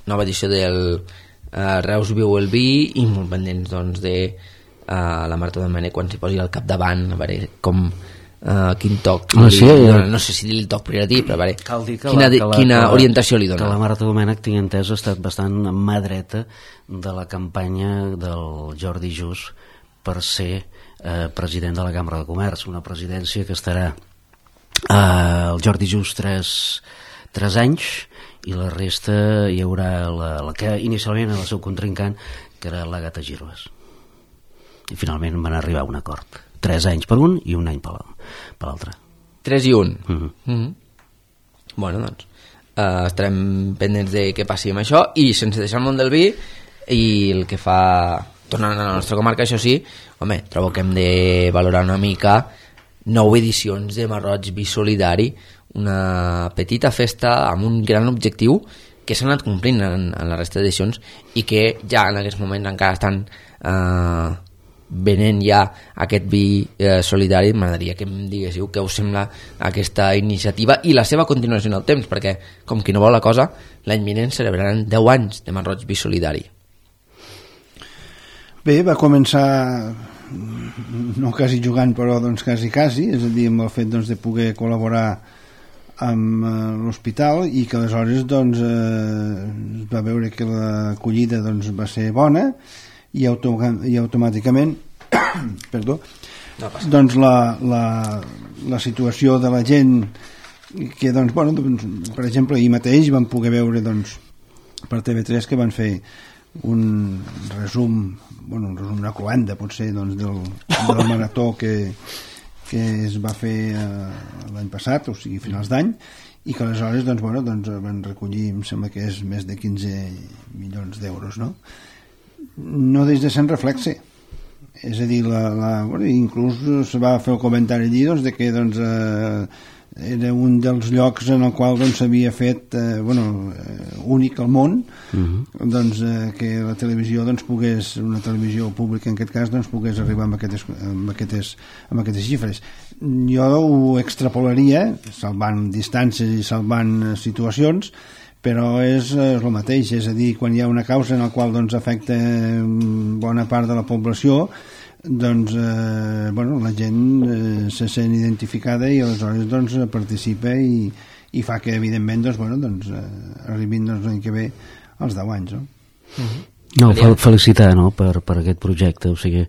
nova edició del uh, Reus Viu el Vi i molt pendents doncs de uh, la Marta de Mané quan s'hi posi al capdavant, a veure com uh, quin toc ah, sí, li dona, no sé si dir el toc priori, però a veure quina, la, quina la, orientació li dona. Que la Marta Domènech, tinc entès, ha estat bastant mà dreta de la campanya del Jordi Just per ser eh, president de la Cambra de Comerç, una presidència que estarà eh, el Jordi Just tres, tres anys i la resta hi haurà la, la que inicialment era el seu contrincant, que era l'Àgata Girbas, i finalment van arribar a un acord, tres anys per un i un any per l'altre. Tres i un. Mm-hmm. Mm-hmm. Bueno, doncs uh, estarem pendents de què passi amb això i sense deixar el món del vi i el que fa... Tornant a la nostra comarca, això sí, home, trobo que hem de valorar una mica nou edicions de Marroig Vi Solidari, una petita festa amb un gran objectiu que s'ha anat complint en, en la resta d'edicions i que ja en aquests moments encara estan eh, venent ja aquest vi eh, solidari. M'agradaria que em diguéssiu què us sembla aquesta iniciativa i la seva continuació en el temps, perquè com qui no vol la cosa, l'any vinent celebraran deu anys de Marroig Vi Solidari. Bé, va començar no quasi jugant, però doncs quasi quasi, és a dir, amb el fet doncs, de poder col·laborar amb eh, l'hospital i que aleshores doncs, eh, es va veure que l'acollida doncs, va ser bona i, auto i automàticament perdó, no doncs la, la, la situació de la gent que doncs, bueno, doncs, per exemple ahir mateix vam poder veure doncs, per T V tres que van fer un resum, bueno, un resum, una cloenda potser doncs, del, del marató que, que es va fer eh, l'any passat, o sigui finals d'any, i que aleshores doncs, bueno, doncs, van recollir, em sembla que és més de quinze milions d'euros, no? No des de Sant Reflexe, és a dir, la, la, bueno, inclús se va fer el comentari allí doncs, de que doncs, eh, era un dels llocs en el qual doncs, s'havia fet eh, bueno, eh, únic al món, uh-huh. doncs, eh, que la televisió doncs, pogués, una televisió pública en aquest cas doncs, pogués arribar amb aquestes, amb, aquestes, amb aquestes xifres. Jo ho extrapolaria salvant distàncies i salvant situacions, però és, és el mateix, és a dir, quan hi ha una causa en la qual doncs, afecta bona part de la població, doncs eh, bueno, la gent eh, se sent identificada i aleshores doncs, participa i, i fa que evidentment doncs, bueno, doncs, eh, arribin doncs, l'any que ve als deu anys, no? Uh-huh. No, fel felicitar, no?, per, per aquest projecte, o sigui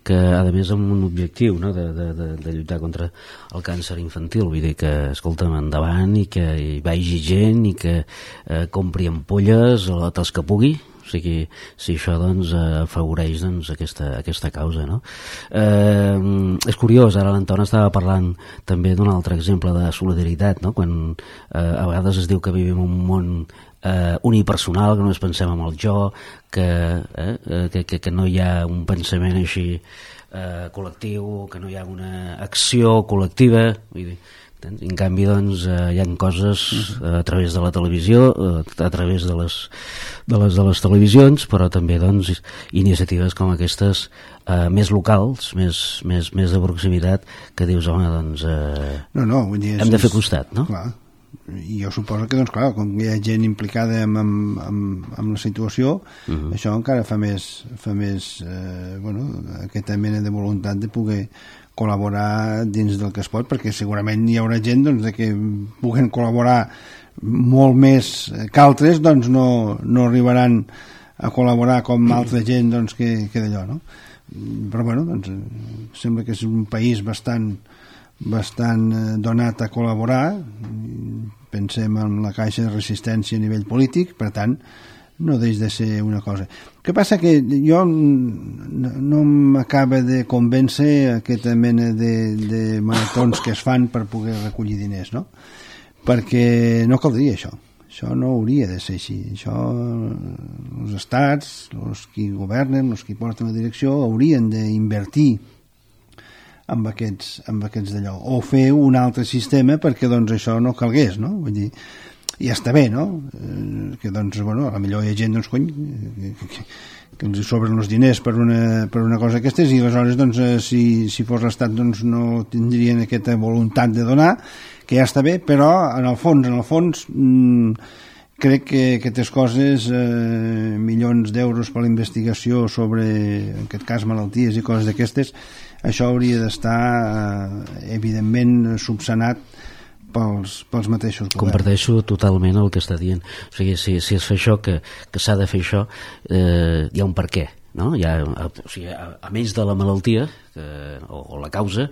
que a més amb un objectiu, no?, de, de, de, de lluitar contra el càncer infantil, vull dir que escolta'm, endavant i que hi vagi gent i que eh, compri ampolles o els que pugui, o sigui, si això doncs afavoreix doncs, aquesta, aquesta causa, no? Eh, és curiós, ara l'Anton estava parlant també d'un altre exemple de solidaritat, no? Quan eh, a vegades es diu que vivim en un món eh, unipersonal, que només pensem en el jo, que, eh, que, que, que no hi ha un pensament així eh, col·lectiu, que no hi ha una acció col·lectiva, vull dir, en canvi doncs eh, hi ha coses eh, a través de la televisió, eh, a través de les, de les de les televisions, però també doncs iniciatives com aquestes eh, més locals, més, més, més de proximitat, que dius, home, doncs eh, no, no, vull dir, hem de fer costat, no? Clar. I jo suposo que doncs clar, com hi ha gent implicada amb, amb, amb, amb la situació, uh-huh. això encara fa més, fa més eh, bueno, aquesta mena de voluntat de poder col·laborar dins del que es pot, perquè segurament hi haurà gent doncs, de que puguen col·laborar molt més que altres, doncs no, no arribaran a col·laborar com altra gent doncs, que, que d'allò, no? Però bueno, doncs, sembla que és un país bastant, bastant donat a col·laborar. Pensem en la caixa de resistència a nivell polític, per tant no deix de ser una cosa. El que passa que jo no, no m'acaba de convèncer aquesta mena de, de maratons que es fan per poder recollir diners, no? Perquè no caldria això. Això no hauria de ser així. Això, els estats, els qui governen, els qui porten la direcció, haurien d'invertir amb aquests, amb aquests d'allò. O fer un altre sistema perquè doncs, això no calgués, no? Vull dir, ja està bé, no? Eh, que doncs, bueno, a la millor hi ha gent, doncs, cony, que, que, que els sobren els diners per una, per una cosa aquestes i aleshores, doncs, eh, si, si fos l'Estat, doncs, no tindrien aquesta voluntat de donar, que ja està bé, però en el fons, en el fons mmm, crec que aquestes coses, eh, milions d'euros per la investigació sobre, en aquest cas, malalties i coses d'aquestes, això hauria d'estar eh, evidentment subsanat pels, pels mateixos governs. Comparteixo totalment el que està dient. O sigui, si, si es fa això, que, que s'ha de fer això, eh, hi ha un per què. No? Hi ha, o sigui, a, a més de la malaltia que, o, o la causa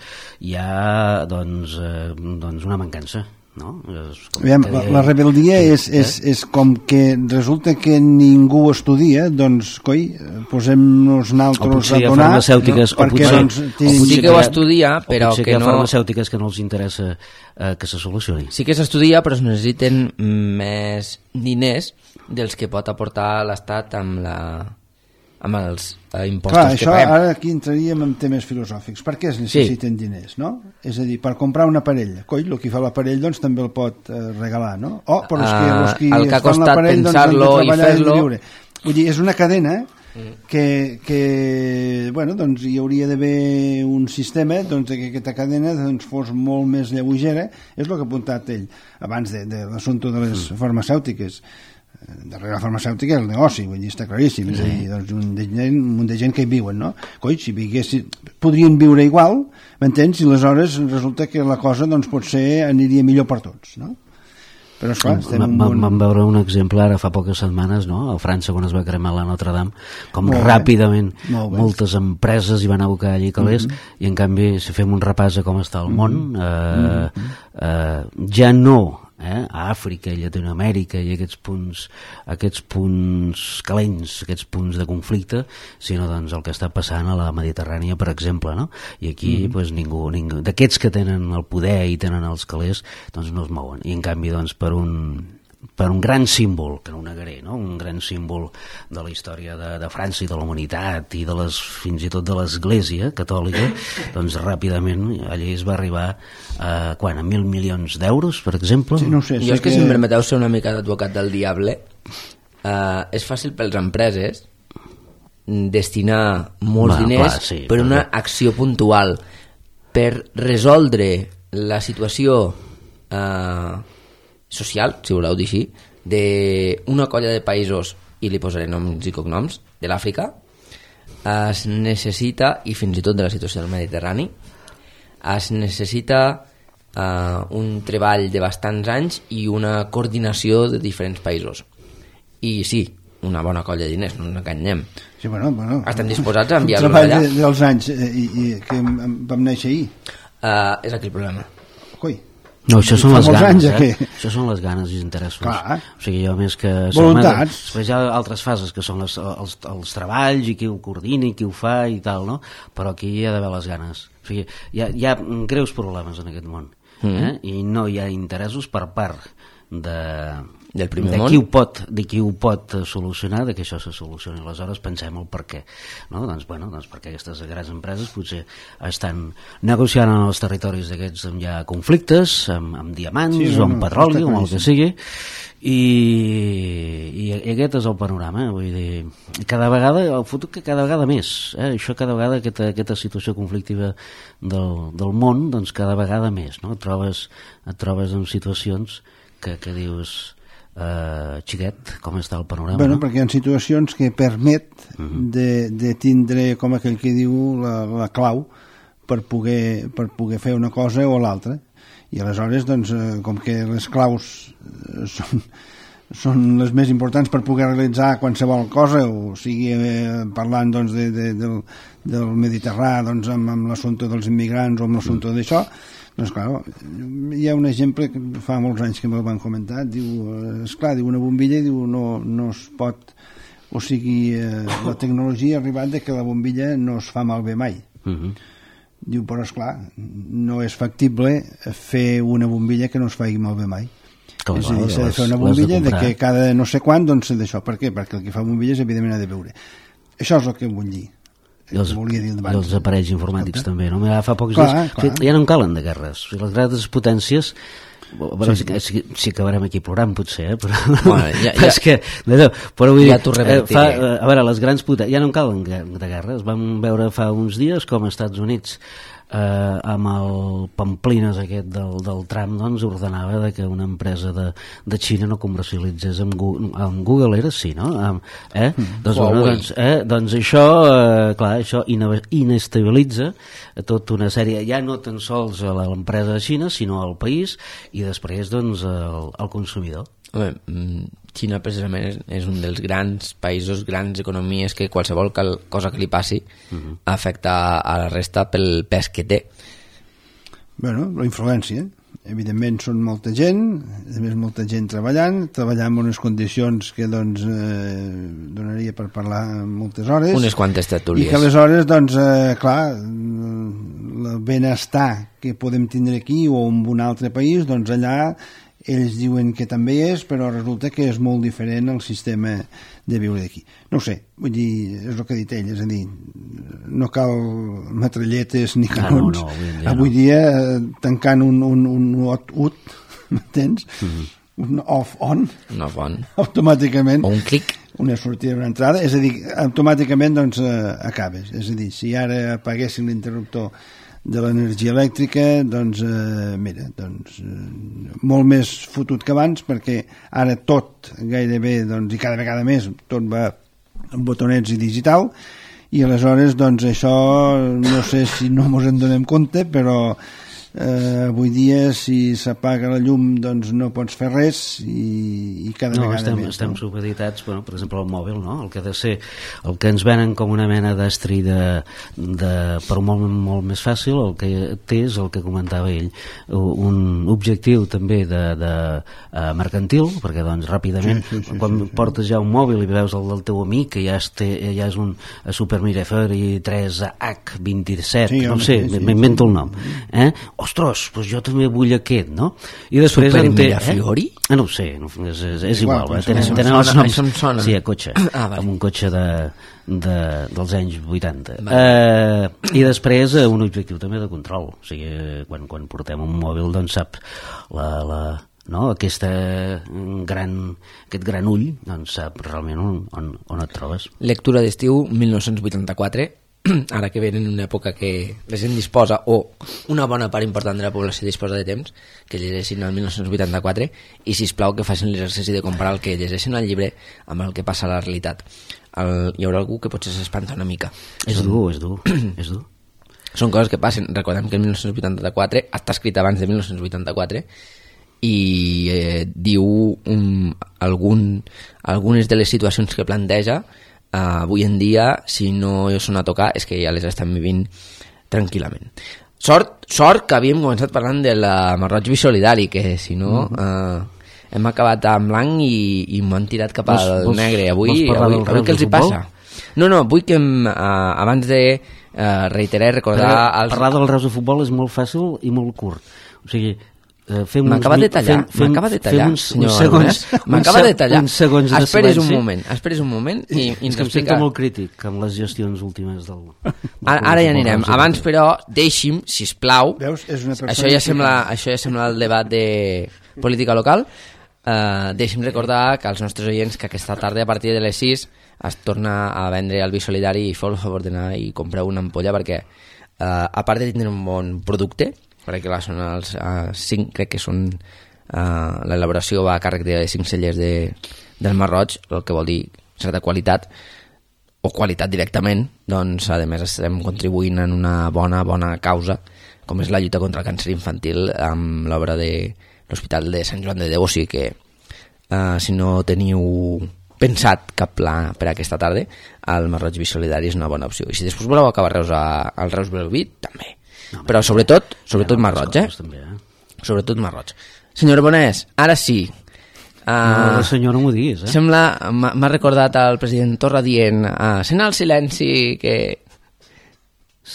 hi ha doncs, eh, doncs una mancança, no? Aviam, la, la rebeldia eh? és, és, és com que resulta que ningú estudia, doncs coi, posem-nos naltros a donar, farmacèutiques, no? Perquè potser, doncs, o potser que ho estudia però que, que hi ha no... farmacèutiques que no els interessa eh, que se solucioni. Sí que s'estudia, però es necessiten més diners dels que pot aportar l'Estat amb la... amb els eh, impostos clar, que això, paguem. Ara aquí entraríem en temes filosòfics. Per què es necessiten sí. diners, no? És a dir, per comprar un aparell. Coi, el qui fa l'aparell doncs també el pot eh, regalar, no? O, però els que, els qui el que ha fan costat pensar-lo doncs, i fer-lo... Vull dir, és una cadena que, que bueno, doncs hi hauria d'haver un sistema doncs, que aquesta cadena doncs, fos molt més lleugera. És el que ha apuntat ell abans de, de l'assumpte de les farmacèutiques. Darrere la farmacèutica és el negoci, vull dir, està claríssim, és a dir, doncs un de gent, un munt de gent que hi viuen, no? Coi, si viguessin, podrien viure igual, m'entens? I aleshores resulta que la cosa, doncs, potser aniria millor per tots, no? Però, esclar, estem en un món... bon... Vam veure un exemplar ara fa poques setmanes, no?, a França, quan es va cremar la Notre Dame, com molt ràpidament moltes empreses hi van abocar allí calés, mm-hmm. i en canvi, si fem un repàs a com està el món, mm-hmm. eh, eh, ja no... Eh, a Àfrica i Llatinoamèrica i aquests punts, aquests punts calents, aquests punts de conflicte, sinó doncs el que està passant a la Mediterrània, per exemple, no? I aquí mm-hmm. pues, ningú, ningú d'aquests que tenen el poder i tenen els calés doncs no es mouen, i en canvi doncs per un per un gran símbol, que no ho negaré, no? Un gran símbol de la història de, de França i de la humanitat i de les, fins i tot de l'Església catòlica, doncs ràpidament allí es va arribar a, quan, a mil milions d'euros, per exemple? Sí, no sé, jo és que, que si em permeteu ser una mica d'advocat del diable, eh, és fàcil per les empreses destinar molts bueno, diners clar, sí, per una però... acció puntual per resoldre la situació eh, social, si voleu dir així, d'una colla de països, i li posaré noms i cognoms, de l'Àfrica, es necessita, i fins i tot de la situació del Mediterrani, es necessita eh, un treball de bastants anys i una coordinació de diferents països. I sí, una bona colla de diners, no ens enganyem. Sí, bueno, bueno. Estem disposats a enviar-los allà. El treball dels anys eh, i, i que vam néixer ahir. Uh, és aquí el problema. Coi. No, això són les ganes, eh? Això són les ganes i interessos. Clar. O sigui, jo més que... Voluntats. Després hi ha altres fases, que són les, els, els treballs i qui ho coordina i qui ho fa i tal, no? Però aquí hi ha d'haver les ganes. O sigui, hi ha, hi ha greus problemes en aquest món. Mm. Eh? I no hi ha interessos per part de... del primer de món, qui ho pot, de qui ho pot solucionar, de que això se solucioni. Aleshores pensem el per què, no? Doncs, bueno, doncs perquè aquestes grans empreses potser estan negociant en els territoris d'aquests on hi ha conflictes, amb, amb diamants, sí, no, o amb no, petroli, o amb el que sigui, i, i, i aquest és el panorama, vull dir, cada vegada, el futur que cada vegada més, eh? Això cada vegada, aquesta, aquesta situació conflictiva del, del món, doncs cada vegada més, no? Et trobes, et trobes en situacions que, que dius... Uh, xiquet, com està el panorama? Bueno, no? perquè hi ha situacions que permet uh-huh. de, de tindre, com aquell que diu, la, la clau per poder, per poder fer una cosa o l'altra. I aleshores, doncs, com que les claus són, són les més importants per poder realitzar qualsevol cosa, o sigui, eh, parlant doncs, de, de, del, del Mediterrani, doncs, amb, amb l'assumpte dels immigrants o amb l'assumpte d'això, doncs, clar, hi ha un exemple que fa molts anys que me'l van comentar, diu, esclar, diu una bombilla, diu, no, no es pot, o sigui, eh, la tecnologia ha arribat de que la bombilla no es fa malbé mai. Uh-huh. Diu, però esclar, no és factible fer una bombilla que no es faci malbé mai. Com és a dir, s'ha de fer una bombilla de, de que cada no sé quan, doncs d'això. Per què? Perquè el que fa bombilles evidentment ha de veure. Això és el que vull dir. I els, i els aparells informàtics Escolta? També, no? Mira, fa pocs clar, dies, clar. Ja no en calen de guerres. Les grans potències, bueno, sí, sí. Si, si acabarem aquí plorant potser, eh? Però, bueno, ja, ja, és que, no, però vull ja dir, eh, fa, a veure, les grans potències ja no en calen de guerres. Vam veure fa uns dies com als Estats Units eh, amb el Pamplinas aquest del, del Trump, doncs ordenava de que una empresa de, de Xina no comercialitzés amb Google, amb Google era sí, no? Amb, eh? Mm. Doncs, bueno, doncs, eh? doncs això eh, clar, això inestabilitza tota una sèrie, ja no tan sols a l'empresa de Xina, sinó al país i després doncs al, al consumidor. Home, Xina precisament és, és un dels grans països, grans economies que qualsevol cal, cosa que li passi uh-huh. afecta a la resta pel pes que té. Bueno, la influència. Evidentment són molta gent, a més molta gent treballant, treballant en unes condicions que doncs eh, donaria per parlar moltes hores. Unes quantes tertúlies. I que aleshores, doncs, eh, clar, el benestar que podem tindre aquí o en un altre país, doncs allà ells diuen que també és, però resulta que és molt diferent el sistema de viure d'aquí. No ho sé, vull dir, és el que ha dit ell, és a dir, no cal metralletes ni canons. Ah, no, no, avui, avui dia, no. tancant un, un, un ut, m'entens? Mm-hmm. Un off-on. Un off-on. Automàticament. O un clic. Una sortida i una entrada, és a dir, automàticament doncs eh, acabes. És a dir, si ara apaguessin l'interruptor de l'energia elèctrica, doncs, eh, mira, doncs, eh, molt més fotut que abans, perquè ara tot, gairebé, doncs, i cada vegada més, tot va amb botonets i digital, i aleshores, doncs, això, no sé si no mos en donem compte, però eh, avui dia, si s'apaga la llum, doncs no pots fer res, i, i cada no, vegada estem, més. Estem no? supeditats, bueno, per exemple, el mòbil, no? El que ha de ser, el que ens venen com una mena d'estri de, de, per molt, molt més fàcil, el que té és el que comentava ell, un objectiu també de, de uh, mercantil, perquè doncs ràpidament, sí, sí, sí, quan sí, sí. portes ja un mòbil i veus el del teu amic, que ja, té, ja és un Super Miraflores tres H vint-i-set, sí, no sé, sí, m'invento sí, el nom, eh? Ostres, doncs jo també vull aquest, no? I després Super Miraflores? Eh? Ah, no ho sé, no, és, és, és igual, igual tenen, tenen els noms. Això em sona. Sí, a cotxe, ah, vale. Amb un cotxe de, de, dels anys vuitanta. Vale. Eh, I després eh, un objectiu també de control, o sigui, quan, quan portem un mòbil, doncs saps la... la no? Aquesta gran, aquest gran ull, doncs sap realment on, on, on et trobes. Lectura d'estiu mil nou-cents vuitanta-quatre, ara que ven en una època que la gent disposa, o una bona part important de la població disposa de temps, que llegeixin el mil nou-cents vuitanta-quatre, i sisplau que facin l'exercici de comparar el que llegeixen al llibre amb el que passa a la realitat. El, hi haurà algú que potser s'espanta una mica. És dur, és dur, és dur. Són coses que passen. Recordem que el mil nou-cents vuitanta-quatre està escrit abans de mil nou-cents vuitanta-quatre i eh, diu um, algun, algunes de les situacions que planteja uh, avui en dia, si no són a tocar, és que ja les estem vivint tranquil·lament. Sort, sort que havíem començat parlant de la Marroig Bisolidari, que si no uh, hem acabat en blanc i, i m'ho han tirat cap al vols, negre. Avui, avui, avui què els hi passa? No, no, vull que uh, abans de uh, reiterar i recordar... Els... Parlar del Reus de Futbol és molt fàcil i molt curt. O sigui, Uh, m'acaba de tallar, m'acaba de tallar, uns, senyor uns segons, m'acaba de tallar. Uns segons de esperis un moment, esperis un moment i, i ens explica. Em sento molt crític amb les gestions últimes del... del ara, ara ja anirem. Abans, però, deixi'm, sisplau, Veus? És una això ja sembla, això ja sembla el debat de política local. Uh, deixi'm recordar que als nostres oients que aquesta tarda a partir de les sis es torna a vendre el Bisolidari i feu el favor d'anar i comprar una ampolla perquè uh, a part de tindre un bon producte, perquè clar, són els uh, cinc, crec que són uh, l'elaboració va a càrrec de cinc cellers de, del Marroig, el que vol dir certa qualitat, o qualitat directament, doncs a més estem contribuint en una bona bona causa, com és la lluita contra el càncer infantil amb l'obra de l'Hospital de Sant Joan de Déu. O sigui que uh, si no teniu pensat cap pla per aquesta tarda, el Masroig Vi Solidari és una bona opció. I si després voleu acabar Reus a, al Reus Belvit, també. No, però sobretot, sobretot Masroig, eh? També, eh? Sobretot Masroig. Senyora Bonés, ara sí. Uh, no, senyor, no m'ho diguis, eh? Sembla, m'ha recordat el president Torra dient uh, sent el silenci que...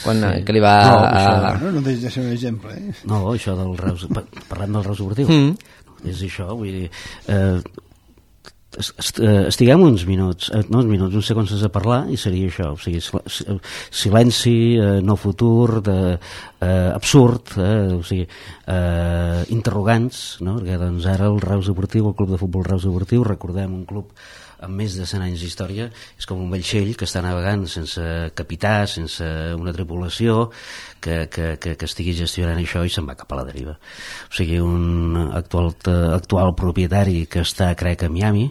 Quan, sí. que li va... No, això, no, no deixa de ser un exemple, eh? No, això del Reus... Parlem del Reus Esportiu. Mm. És això, vull dir... Eh, estiguem uns minuts, no uns minuts, uns segons a parlar i seria això, o sigui, silenci, eh, no futur, de, eh, absurd, eh, o sigui, eh, interrogants, no? Perquè doncs ara el Reus Esportiu, el Club de Futbol Reus Esportiu, recordem un club amb més de cent anys d'història, és com un vaixell que està navegant sense capità, sense una tripulació, que, que, que, que estigui gestionant això i se'n va cap a la deriva. O sigui, un actual, actual propietari que està, crec, a Miami,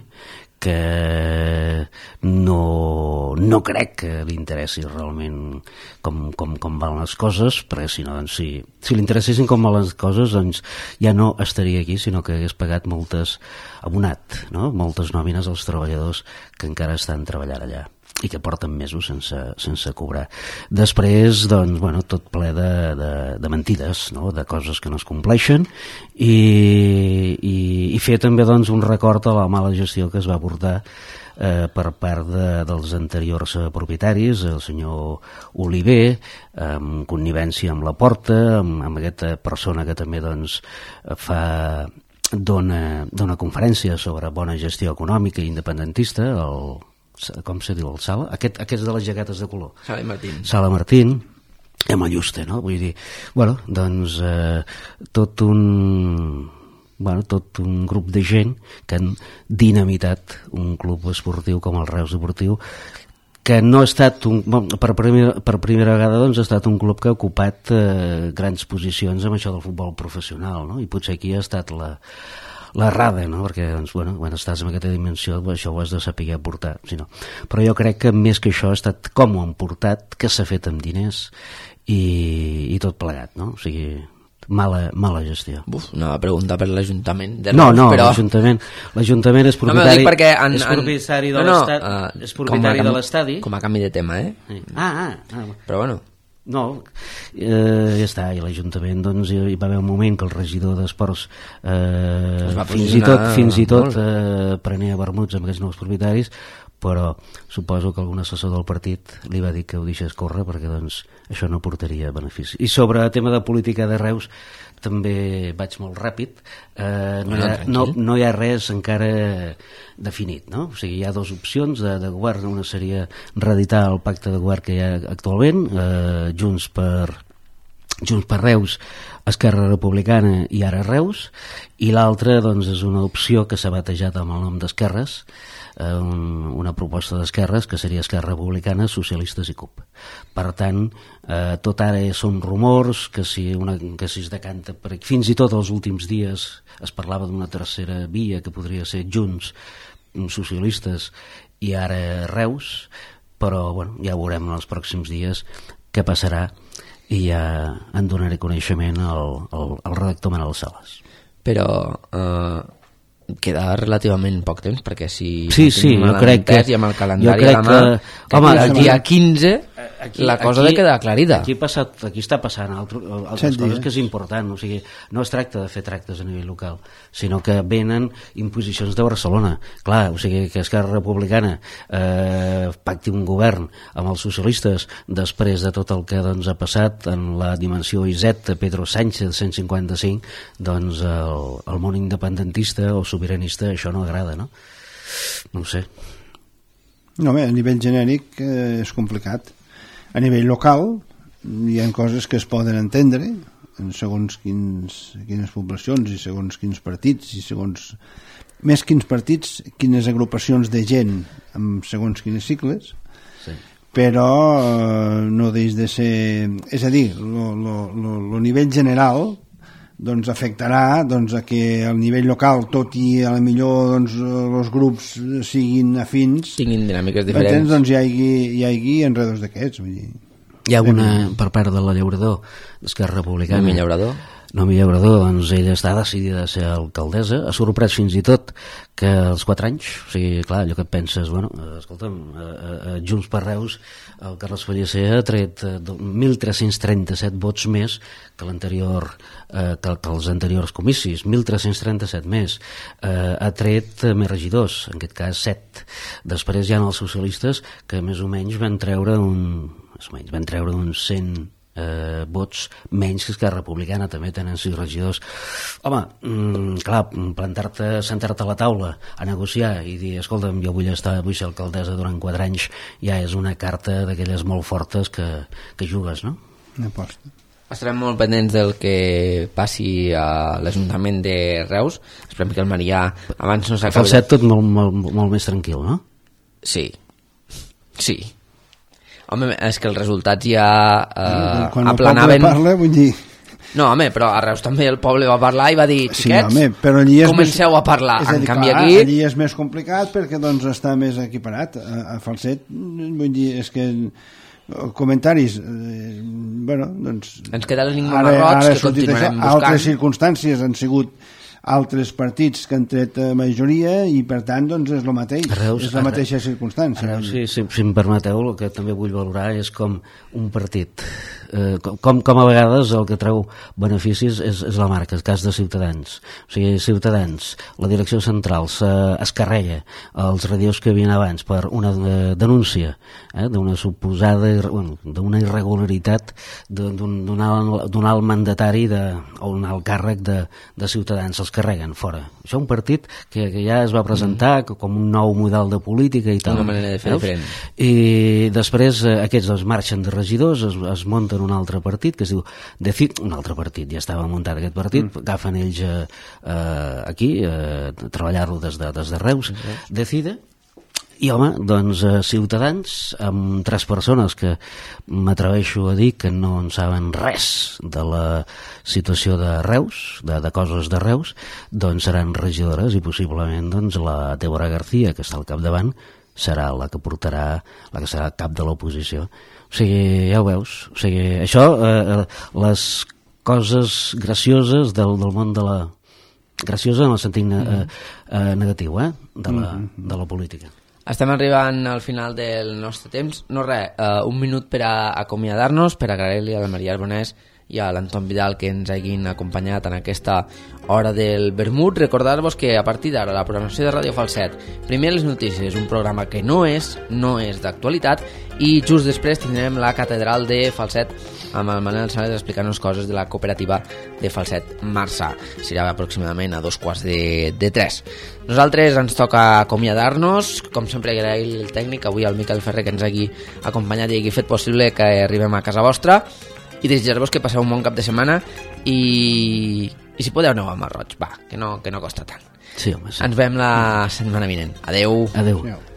que no, no crec que li interessi realment com, com, com van les coses, perquè si no, doncs, si, si li interessessin com van les coses, doncs ja no estaria aquí, sinó que hagués pagat moltes, abonat, no? moltes nòmines als treballadors que encara estan treballant allà i que porten mesos sense, sense cobrar. Després, doncs, bueno, tot ple de, de, de mentides, no? De coses que no es compleixen i, i, i fer també doncs, un record a la mala gestió que es va portar eh, per part de, dels anteriors propietaris, el senyor Oliver, amb connivència amb la Porta, amb, amb aquesta persona que també doncs, fa... Dona, dona conferència sobre bona gestió econòmica i independentista, el, com se diu, el Sala? Aquest, aquests de les jaquetes de color. Sala Martín. Sala Martín, amb el Juste, no? Vull dir, bueno, doncs eh, tot un... Bueno, tot un grup de gent que han dinamitat un club esportiu com el Reus Esportiu, que no ha estat un, per, primera, per primera vegada doncs, ha estat un club que ha ocupat eh, grans posicions amb això del futbol professional, no? I potser aquí ha estat la, l'errada, no? Perquè doncs, bueno, quan estàs en aquesta dimensió això ho has de saber portar, si no. Però jo crec que més que això ha estat com ho han portat, que s'ha fet amb diners i, i tot plegat, no? O sigui... Mala, mala gestió. Uf, una pregunta per l'Ajuntament de Reus, no, no, però... l'Ajuntament l'Ajuntament és propietari, no, en, és propietari de no, no, l'estadi, uh, és propietari de l'estadi. Com a canvi de tema, eh? Sí. Ah, ah, ah. Però bueno. No, eh, ja està, i l'Ajuntament doncs, hi va haver un moment que el regidor d'Esports eh, fins i tot, fins i tot eh, prenia vermuts amb aquests nous propietaris, però suposo que algun assessor del partit li va dir que ho deixés córrer perquè doncs, això no portaria benefici. I sobre el tema de política de Reus també vaig molt ràpid, eh, no, hi ha, no, no hi ha res encara definit, no? O sigui, hi ha dues opcions de, de govern, una seria reeditar el pacte de govern que hi ha actualment, eh, Junts per Junts per Reus, Esquerra Republicana i ara Reus, i l'altra doncs, és una opció que s'ha batejat amb el nom d'Esquerres, eh, un, una proposta d'Esquerres que seria Esquerra Republicana, Socialistes i C U P. Per tant, eh, tot ara són rumors que si, una, que si es decanta per aquí. Fins i tot els últims dies es parlava d'una tercera via que podria ser Junts, Socialistes i ara Reus, però bueno, ja veurem en els pròxims dies què passarà i ja en donaré coneixement al, al, al redactor Manel Sales. Però eh, queda relativament poc temps, perquè si sí, sí, jo crec que i amb el calendari a la mà, que, home, el dia quinze aquí, la cosa aquí, ha de quedar aclarida. Aquí, passat, aquí està passant altre, altres sí, coses que és important, o sigui, no es tracta de fer tractes a nivell local, sinó que venen imposicions de Barcelona. Clar, o sigui, que Esquerra Republicana eh, pacti un govern amb els socialistes després de tot el que doncs, ha passat en la dimensió I Z de Pedro Sánchez cent cinquanta-cinc, doncs el, el món independentista o sobiranista això no agrada, no? No ho sé. No, bé, a nivell genèric eh, és complicat. A nivell local hi ha coses que es poden entendre en segons quins, quines poblacions i segons quins partits i segons, més quins partits, quines agrupacions de gent amb segons quines cicles, sí. Però eh, no deix de ser, és a dir, el nivell general doncs afectarà doncs, a que al nivell local, tot i a la millor doncs, els grups siguin afins, tinguin dinàmiques diferents, doncs hi hagi, hi hagi enredos d'aquests. Vull dir. Hi ha una per part de la Llaurador, d'Esquerra Republicana. Noemí Llaurador. Noemí Llaurador, doncs ella està decidida a ser alcaldessa, ha sorprès fins i tot que als quatre anys, o sigui, clar, allò que et penses, bueno, escolta'm, a, a, a Junts per Reus, el Carles Pellicer ha tret mil tres-cents trenta-set vots més que l'anterior, eh, que, que els anteriors comicis, mil tres-cents trenta-set més, eh, ha tret més regidors, en aquest cas set. Després hi ha els socialistes que més o menys van treure un, més o menys, van treure uns cent Eh, vots menys que Esquerra Republicana, també tenen sis regidors. Home, mm, clar, plantar-te, sentar-te a la taula a negociar i dir, escolta'm, jo vull estar, vull ser alcaldessa durant quatre anys, ja és una carta d'aquelles molt fortes que, que jugues, no? Una aposta. Estarem molt pendents del que passi a l'Ajuntament de Reus. Esperem que el Marià abans no s'acabi. Falset tot molt, molt, molt més tranquil, no? Sí, sí. Home, és que els resultats ja eh, quan aplanaven... el poble parla, vull dir... No, home, però a Reus també el poble va parlar i va dir, sí, xiquets, home, però allí és comenceu més... a parlar. És a dir, en canvi clar, aquí... allí és més complicat perquè doncs, està més equiparat. A, a Falset, vull dir, és que... comentaris, eh, bueno, doncs... Ens queda l'enigma marroig que continuarem buscant. Altres circumstàncies han sigut altres partits que han tret majoria i per tant doncs és el mateix, Reus, és la mateixa circumstància. Reus, sí, si, si em permeteu, el que també vull valorar és com un partit eh, com, com a vegades el que treu beneficis és, és la marca, el cas de Ciutadans. O sigui, Ciutadans, la direcció central es carrega els radios que havien abans per una eh, denúncia eh, d'una suposada bueno, d'una irregularitat d'un alt, alt mandatari de, o un alt càrrec de, de Ciutadans, els carreguen fora. Això és un partit que, que ja es va presentar mm. com un nou model de política i tal. Una manera de fer Veus? diferent. I després eh, aquests doncs, marxen de regidors, es, es munten un altre partit que es diu Decid, un altre partit, ja estava muntat aquest partit, mm. agafen ells eh, eh, aquí, eh, treballar-lo des, de, des de Reus, mm. Decide. I home, doncs eh, Ciutadans, amb tres persones que m'atreveixo a dir que no en saben res de la situació de Reus, de, de coses de Reus, doncs seran regidores i possiblement doncs, la Débora García, que està al capdavant, serà la que portarà, la que serà cap de l'oposició. O sigui, ja ho veus. O sigui, això, eh, les coses gracioses del, del món de la... graciosa en el sentit eh, eh, negatiu, eh, de la, de la política. Estem arribant al final del nostre temps. No res, uh, un minut per a acomiadar-nos, per agrair-li a la Maria Arbonès i a l'Anton Vidal que ens hagin acompanyat en aquesta hora del vermut. Recordar-vos que a partir d'ara la programació de Ràdio Falset, primer les notícies, un programa que no és no és d'actualitat, i just després tindrem la catedral de Falset amb el Manel Sales explicant-nos coses de la cooperativa de Falset Marçà. Serà aproximadament a dos quarts de, de tres. Nosaltres ens toca acomiadar-nos, com sempre agrair el tècnic, avui el Miquel Ferrer, que ens hagi acompanyat i hagi fet possible que arribem a casa vostra, i desitjar-vos que passeu un bon cap de setmana i, i si podeu aneu a Marroig, va, que no, que no costa tant. Sí, home, sí. Ens veiem la setmana vinent. Adeu. Adeu. Adeu.